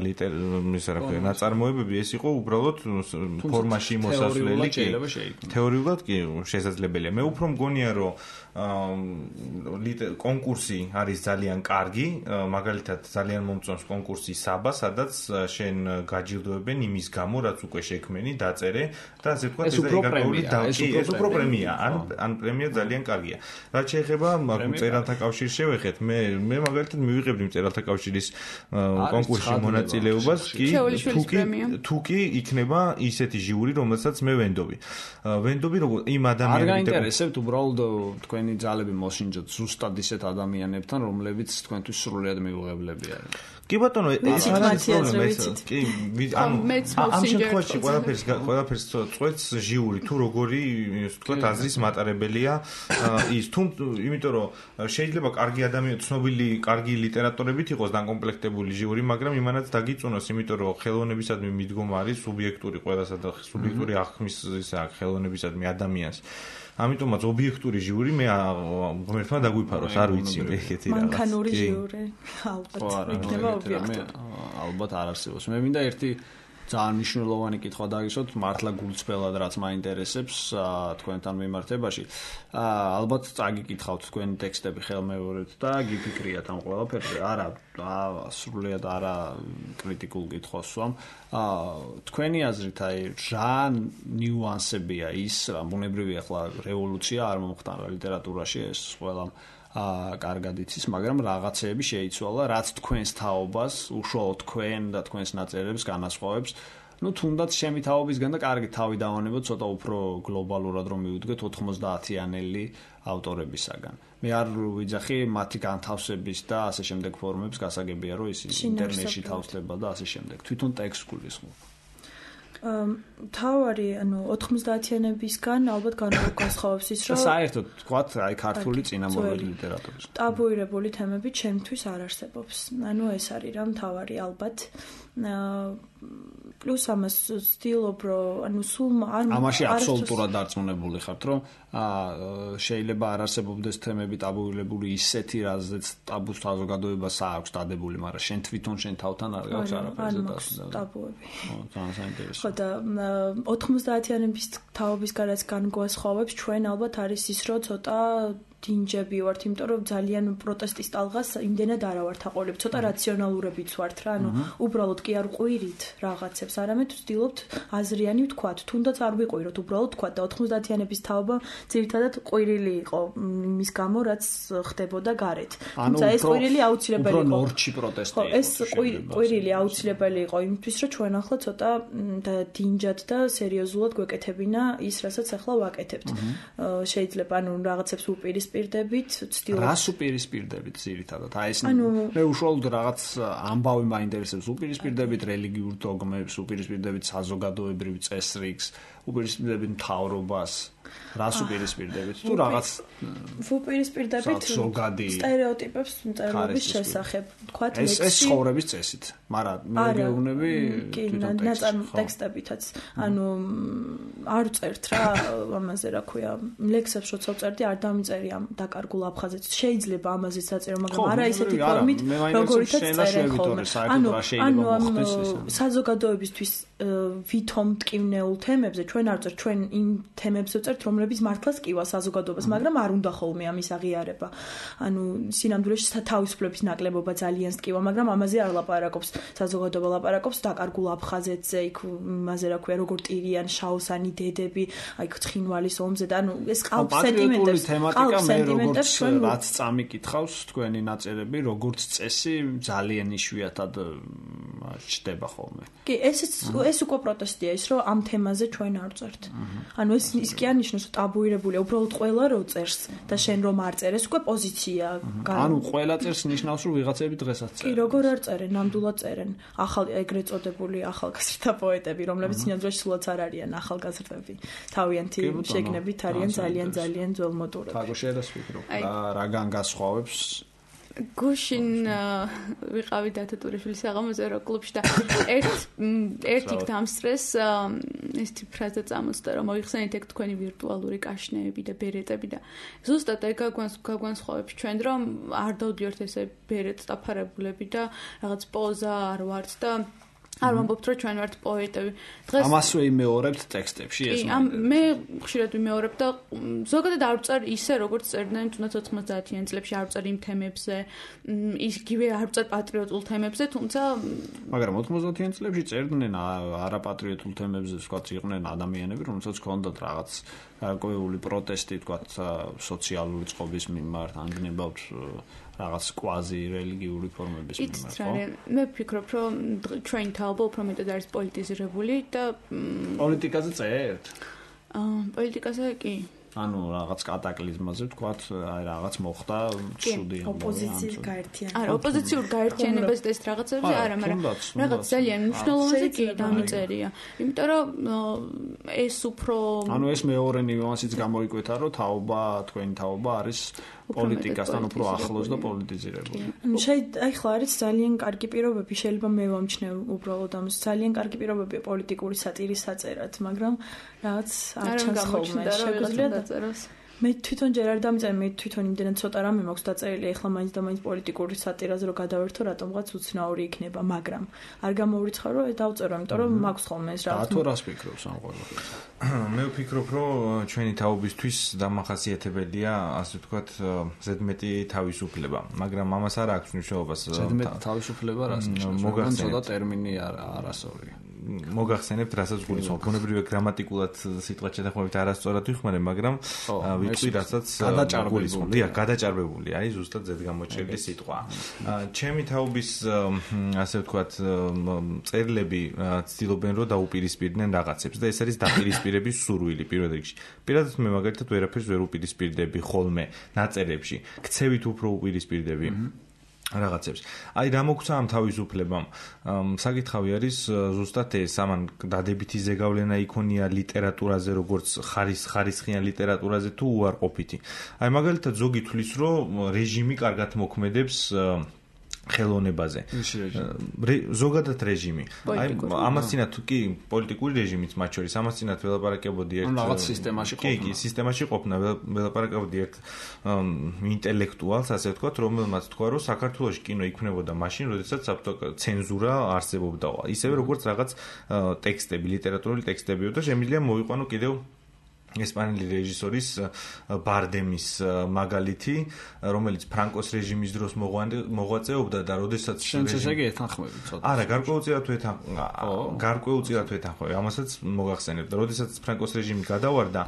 ლიტერატურის რა ქვია ნაწარმოებები ეს იყო უბრალოდ ფორმაში მოსასვლელი კი თეორიულად კი შესაძლებელია მე უფრო მგონია რომ კონკურსი არის ძალიან კარგი, მაგალითად ძალიან მომწონს კონკურსი საბა, სადაც შენ გაჯილდოებენ იმის გამო, რაც უკვე შექმენი, დაწერე და ასე ვთქვათ, ეს ეგრეული დავკი, ეს უფრო პრემია, ან ან პრემია ძალიან კარგია. რაც შეეხება მწერალთა კავშირს შევეხეთ, მე მე მაგალითად მივიღებდი მწერალთა კავშირის კონკურსში მონაწილეობას, კი თუკი თუკი იქნება ისეთი ჟიური, რომელსაც მე ვენდობი. ვენდობი როგორ იმ ადამიანებს
არ გაინტერესებთ უბრალოდ თქვენი ძალები მოსინჯოთ ზუსტად ისეთ ადამიანებთან, რომლებიც თქვენთვის სრულიად მიუღებლები არიან.
კი ბატონო, ეს არ არის პრობლემა ეს. კი, ანუ ამ შემთხვევაში ყველაფერს ყველაფერს წვეთს ჟიური, თუ როგორი, ასე ვთქვათ, აზრის მატარებელია ის, თუ იმიტომ რომ შეიძლება კარგი ადამიანი, ცნობილი, კარგი ლიტერატორებით იყოს დაკომპლექტებული ჟიური, მაგრამ იმანაც დაგიწუნოს, იმიტომ რომ ხელოვნებისადმი მიდგომა არის სუბიექტური ყველასა და სუბიექტური აღქმის ისა ხელოვნებისადმი ადამიანს. ამიტომაც ობიექტური ჟიური მე ღმერთმა დაგვიფაროს, არ ვიცი მე ეგეთი რაღაც.
მანქანური ჟიური, ალბათ იქნება ობიექტური.
ალბათ არ არსებობს. მე მინდა ერთი ძალიან მნიშვნელოვანი კითხვა დაგისვათ, მართლა გულწრფელად რაც მაინტერესებს თქვენთან მიმართებაში. ალბათ წაგიკითხავთ თქვენი ტექსტები ხელმეორედ და გიფიქრიათ ამ ყველაფერზე. არა, სრულიად არა კრიტიკულ კითხვას ვსვამ. თქვენი აზრით, აი, რა ნიუანსებია ის, რა ბუნებრივია ახლა რევოლუცია არ მომხდარა ლიტერატურაში ეს ყველა აა კარგად იცის, მაგრამ რაღაცეები შეიცვალა, რაც თქვენს თაობას, უშუალოდ თქვენ და თქვენს ნაწერებს განასხვავებს. Ну, თუნდაც ჩემი თაობისგან და კარგი თავი დავანებოთ, ცოტა უფრო გლობალურად რომ მივუდგეთ ოთხმოცდაათიანელი ავტორებისაგან. მე არ ვიძახი მათი განთავსების და ასე შემდეგ ფორმებს, გასაგებია რომ ის ინტერნეტში თავსდება და ასე შემდეგ. თვითონ ტექსტს გულისხმობ.
თავარი, ანუ ოთხმოცდაათიანებისგან ალბათ განსხვავებს ის, რომ
საერთოდ თქვათ, აი ქართული წინამორბედი ლიტერატურის.
ტაბუირებული თემები ჩემთვის არ არსებობს. ანუ ეს არის რა თავარი ალბათ. პლუს ამას ვცდილობ, რომ ანუ სულ არ
ამაში აბსოლუტურად დარწმუნებული ხართ, რომ შეიძლება არ არსებობდეს თემები ტაბუირებული ისეთი, რაზეც ტაბუს საზოგადოებას აქვს დადებული, მაგრამ შენ თვითონ შენ თავთან არ გაქვს არაფერზე
დასდები. ტაბუები.
ხო, ძალიან საინტერესო.
ხო და ოთხმოცდაათიანების თაობის გარეთ განგვასხვავებს ჩვენ ალბათ არის ის, რომ ცოტა დინჯები ვართ, იმიტომ რომ ძალიან პროტესტის ტალღას იმდენად არა ვართ აყოლებ, ცოტა რაციონალურებიც ვართ რა, ანუ უბრალოდ კი არ ყვირით რაღაცებს, არამედ ვცდილობთ აზრიანი ვთქვათ, თუნდაც არ ვიყვიროთ, უბრალოდ ვთქვათ და ოთხმოცდაათიანების თაობა ძირითადად ყვირილი იყო იმის გამო, რაც ხდებოდა გარეთ. თუმცა ეს ყვირილი აუცილებელი იყო.
უფრო ნორჩი პროტესტი იყო.
ეს ყვირილი აუცილებელი იყო იმისთვის, რომ ჩვენ ახლა ცოტა დინჯად და სერიოზულად გვეკეთებინა ის, რასაც ახლა ვაკეთებთ. შეიძლება ანუ რაღაცებს უპირისპირდებით პირდებით, ვცდილობ.
რას უპირისპირდებით ძირითადად? აი ეს მე უშუალოდ რაღაც ამბავი მაინტერესებს, უპირისპირდებით რელიგიურ დოგმებს, უპირისპირდებით საზოგადოებრივ წესრიგს, უპირისპირდებით მთავრობას. რას უპირისპირდებით? თუ რაღაც
უპირისპირდებით სტერეოტიპებს მწერლობის შესახებ, თქვათ
ეს ეს ცხოვრების წესით, მაგრამ მე გეუბნები
თვითონ ტექსტებითაც. ანუ არ წერთ რა ამაზე რა ქვია, ლექსებს როცა წერდი არ დამიწერი ამ დაკარგულ აფხაზეთს. შეიძლება ამაზეც დაწერო, მაგრამ არა ისეთი ფორმით, როგორითაც წერენ ხოლმე. ანუ ანუ საზოგადოებისთვის ვითომ მტკივნეულ თემებზე ჩვენ არ წერთ, ჩვენ იმ თემებზე წერთ, რომლებიც მართლაც კივა საზოგადოებას, მაგრამ არ უნდა ხოლმე ამის აღიარება. ანუ სინამდვილეში თავისუფლების ნაკლებობა ძალიან სკივა, მაგრამ ამაზე არ ლაპარაკობს. საზოგადოება ლაპარაკობს დაკარგულ აფხაზეთზე, იქ იმაზე რა ქვია, როგორ ტირიან შაოსანი დედები, აი ცხინვალის ომზე და ანუ ეს ყალბ სენტიმენტებს,
თემატიკა მე როგორც რაც წამიკითხავს თქვენი ნაწერები, როგორც წესი ძალიან იშვიათად ჩდება ხოლმე.
კი, ესეც ეს უკვე პროტესტია ის, რომ ამ თემაზე ჩვენ არ წერთ. ანუ ეს ის კი არ ნიშნავს, რომ ტაბუირებულია, უბრალოდ ყველა რო წერს და შენ რომ არ წერ, ეს უკვე პოზიცია.
ანუ ყველა წერს ნიშნავს, რომ ვიღაცები დღესაც წერენ.
კი, როგორ არ წერენ, ნამდვილად წერენ. ახალ ეგრეთ წოდებული ახალგაზრდა პოეტები, რომლებიც სინამდვილეში სულაც არ არიან ახალგაზრდები. თავიანთი შეგნებით არიან ძალიან ძალიან ძველმოდურები.
თაგო შეიძლება ვფიქრო, რაგან გასხვავებს
გუშინ ვიყავი დათო ტურიშვილის საღამოზე რო კლუბში და ერთ ერთ იქ დამსწრეს ესეთი ფრაზა წამოწდა რომ მოიხსენეთ ეგ თქვენი ვირტუალური კაშნეები და ბერეტები და ზუსტად ეგ გაგვანსხვავებს ჩვენ რომ არ დავდიოთ ესე ბერეტს დაფარებულები და რაღაც პოზა არ ვართ და არ ვამბობთ რომ ჩვენ ვართ პოეტები.
დღეს ამას ვიმეორებთ ტექსტებში ეს
ამ მე ხშირად ვიმეორებ და ზოგადად არ ვწერ ისე როგორც წერდნენ თუნდაც ოთხმოცდაათიან წლებში არ ვწერ იმ თემებზე, იგივე არ ვწერ პატრიოტულ თემებზე, თუმცა
მაგრამ ოთხმოცდაათიან წლებში წერდნენ არაპატრიოტულ თემებზე, ვთქვათ, იყვნენ ადამიანები, რომელსაც ჰქონდათ რაღაც გარკვეული პროტესტი, ვთქვათ, სოციალური წყობის მიმართ, ანგნებავთ რაღაც კვაზი რელიგიური ფორმების მიმართ, ხო?
მე ვფიქრობ, რომ ჩვენ თაობა უფრო მეტად არის პოლიტიზირებული და
პოლიტიკაზე წერთ?
აა, პოლიტიკაზე კი.
ანუ რაღაც კატაკლიზმაზე ვთქვათ, აი რაღაც მოხდა, ცუდი ამბავი.
ოპოზიციურ გაერთიანებას.
არა, ოპოზიციურ გაერთიანებას და ეს რაღაცებზე არა, მაგრამ რაღაც ძალიან მნიშვნელოვანი კი დამიწერია. იმიტომ რომ ეს უფრო
ანუ ეს მეორე ნიუანსიც გამოიკვეთა, რომ თაობა, თქვენი თაობა არის პოლიტიკასთან უფრო ახლოს და პოლიტიზირებული.
შეიძლება აი ხლა არის ძალიან კარგი პირობები, შეიძლება მე ვამჩნევ უბრალოდ ამას, ძალიან კარგი პირობები პოლიტიკური სატირის საწერად, მაგრამ რაღაც არ ჩანს ხოლმე შეგვიძლია დაწეროს. მე თვითონ ჯერ არ დამწერე, მე თვითონ იმდენად ცოტა რამე მაქვს დაწერილი, ეხლა მაინც და მაინც პოლიტიკური სატირაზე რომ გადავერთო, რატომღაც უცნაური იქნება, მაგრამ არ გამოვრიცხარ რომ დავწერო, იმიტომ რომ მაქვს ხოლმე ეს რაღაც.
და თუ რას ფიქრობს ამ ყველაფერზე?
მე ვფიქრობ, რომ ჩვენი თაობისთვის დამახასიათებელია, ასე ვთქვათ, ზედმეტი თავისუფლება, მაგრამ ამას არ აქვს მნიშვნელობას.
ზედმეტი თავისუფლება რას ნიშნავს? ცოტა ტერმინი არასწორი.
მოგახსენებთ, რასაც გულისხმობ. ბუნებრივია გრამატიკულად სიტყვას შეთანხმებით არასწორად ვიხმარე, მაგრამ ვიტყვი, რასაც გულისხმობ. დიახ, გადაჭარბებული, აი ზუსტად ზედგამოჭრილი სიტყვა. ჩემი თაობის, ასე ვთქვათ, წერილები ცდილობენ რომ დაუპირისპირდნენ რაღაცებს და ეს არის დაპირისპირების სურვილი პირველ რიგში. პირადად მე მაგალითად ვერაფერს ვერ უპირისპირდები ხოლმე ნაწერებში. ქცევით უფრო უპირისპირდები. რაღაცებს. აი რა მოგცა ამ თავისუფლებამ? საკითხავი არის ზუსტად ეს, ამან დადებითი ზეგავლენა იქონია ლიტერატურაზე, როგორც ხარის ხარისხიან ლიტერატურაზე თუ უარყოფითი. აი მაგალითად ზოგი თვლის, რომ რეჟიმი კარგად მოქმედებს ხელოვნებაზე. ზოგადად რეჟიმი. აი ამას წინათ კი პოლიტიკური რეჟიმიც მათ შორის, ამას წინათ ველაპარაკებოდი ერთ
რაღაც სისტემაში ყოფნა.
კი, კი, სისტემაში ყოფნა, ველაპარაკებოდი ერთ ინტელექტუალს, ასე ვთქვათ, რომელმაც თქვა, რომ საქართველოში კინო იქმნებოდა მაშინ, როდესაც ცენზურა არსებობდა. ისევე როგორც რაღაც ტექსტები, ლიტერატურული ტექსტებიო და შემიძლია მოვიყვანო კიდევ ესპანელი რეჟისორის ბარდემის მაგალითი, რომელიც ფრანკოს რეჟიმის დროს მოღვაწეობდა და როდესაც
შენც ესე იგი ეთანხმები ცოტა.
არა, გარკვეულწილად ეთანხმები. გარკვეულწილად ეთანხმები. ამასაც მოგახსენებ და როდესაც ფრანკოს რეჟიმი გადავარდა,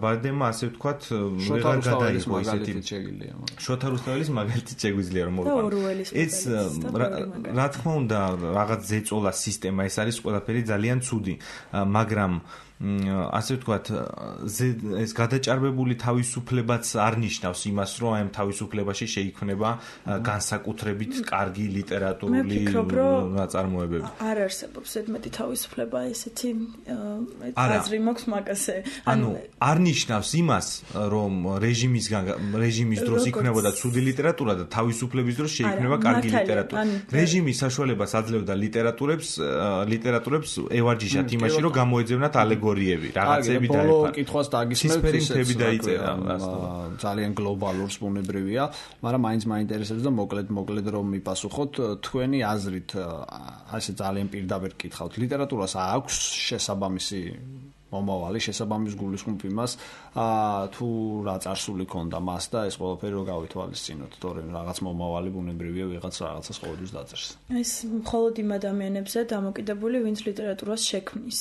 ბარდემმა ასე ვთქვათ, ვეღარ გადაიღო ისეთი
შეგიძლია.
შოთა რუსთაველის მაგალითი შეგვიძლია რომ მოვიყვანო. ეს რა თქმა უნდა, რაღაც ზეწოლა სისტემა, ეს არის ყველაფერი ძალიან ცუდი, მაგრამ ასე ვთქვათ, ეს გადაჭარბებული თავისუფლებაც არ ნიშნავს იმას, რომ აი ამ თავისუფლებაში შეიქმნება განსაკუთრებით კარგი ლიტერატურული ნაწარმოებები.
არ არსებობს ზედმეტი თავისუფლება, ესეთი აზრი მაქვს მაგაზე.
ანუ არ ნიშნავს იმას, რომ რეჟიმისგან რეჟიმის დროს იქნებოდა ცუდი ლიტერატურა და თავისუფლების დროს შეიქმნება კარგი ლიტერატურა. რეჟიმის საშუალებას აძლევდა ლიტერატურებს, ლიტერატურებს ევარჯიშათ იმაში, რომ გამოეძებნათ ალეგორიები. რაღაცები დაიფარა.
ბოლო კითხვას დაგისმევთ,
ისეთი დაიწერა.
ძალიან გლობალურს ბუნებრივია, მაგრამ მაინც მაინტერესებს და მოკლედ მოკლედ რომ მიპასუხოთ, თქვენი აზრით, ასე ძალიან პირდაპირ კითხავთ, ლიტერატურას აქვს შესაბამისი მომავალი, შესაბამის გულისხმობ იმას, თუ რა წარსული ქონდა მას და ეს ყველაფერი რო გავითვალისწინოთ, თორემ რაღაც მომავალი ბუნებრივია ვიღაც რაღაცას ყოველთვის დაწერს.
ეს მხოლოდ იმ ადამიანებზე დამოკიდებული, ვინც ლიტერატურას შექმნის.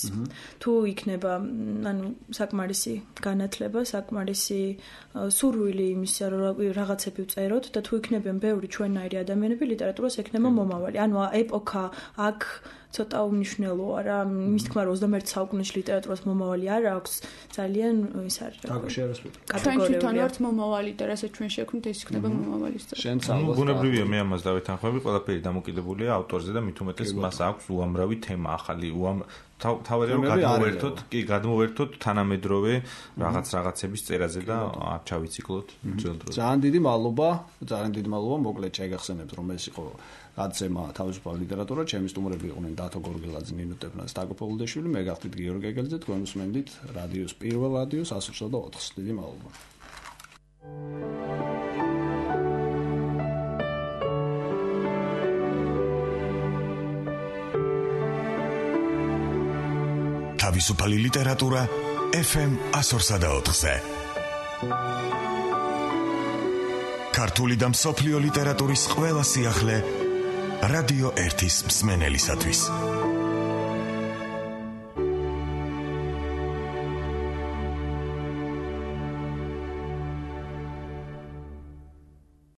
თუ იქნება, ანუ საკმარისი განათლება, საკმარისი სურვილი იმისა, რომ რაღაცები ვწეროთ და თუ იქნებიან ბევრი ჩვენნაირი ადამიანები, ლიტერატურას ექნება მომავალი. ანუ ეპოქა აქ ცოტა უმნიშვნელოა რა, მის თქმა რომ ოცდამეერთე საუკუნეში ლიტერატურას მომავალი არ აქვს, ძალიან ის არის რა.
ჩვენ თვითონ ვართ მომავალი და რასაც ჩვენ შექმნით, ეს იქნება მომავალი.
შენც
ალბათ. ბუნებრივია, მე ამას დავეთანხმები, ყველაფერი დამოკიდებულია ავტორზე და მით უმეტეს მას აქვს უამრავი თემა ახალი, უამ თავად რომ გადმოვერთოთ, კი, გადმოვერთოთ თანამედროვე რაღაც რაღაცების წერაზე და არ ჩავიციკლოთ ძველ დროზე.
ძალიან დიდი მადლობა, ძალიან დიდი მადლობა, მოკლედ შეგახსენებთ, რომ ეს იყო გაცემა თავისუფალი ლიტერატურა, ჩემი სტუმრები იყვნენ დათო გორგელაძე, ნინო ტეფნაძე, სტაკო პოლუდეშვილი, მე გახდით გიორგი ეგელიძე, თქვენ უსმენდით რადიოს პირველ რადიოს one oh four. დიდი მადლობა.
თავისუფალი ლიტერატურა F M one oh four-ზე. ქართული და მსოფლიო ლიტერატურის ყველა სიახლე რადიო ერთის მსმენელისათვის.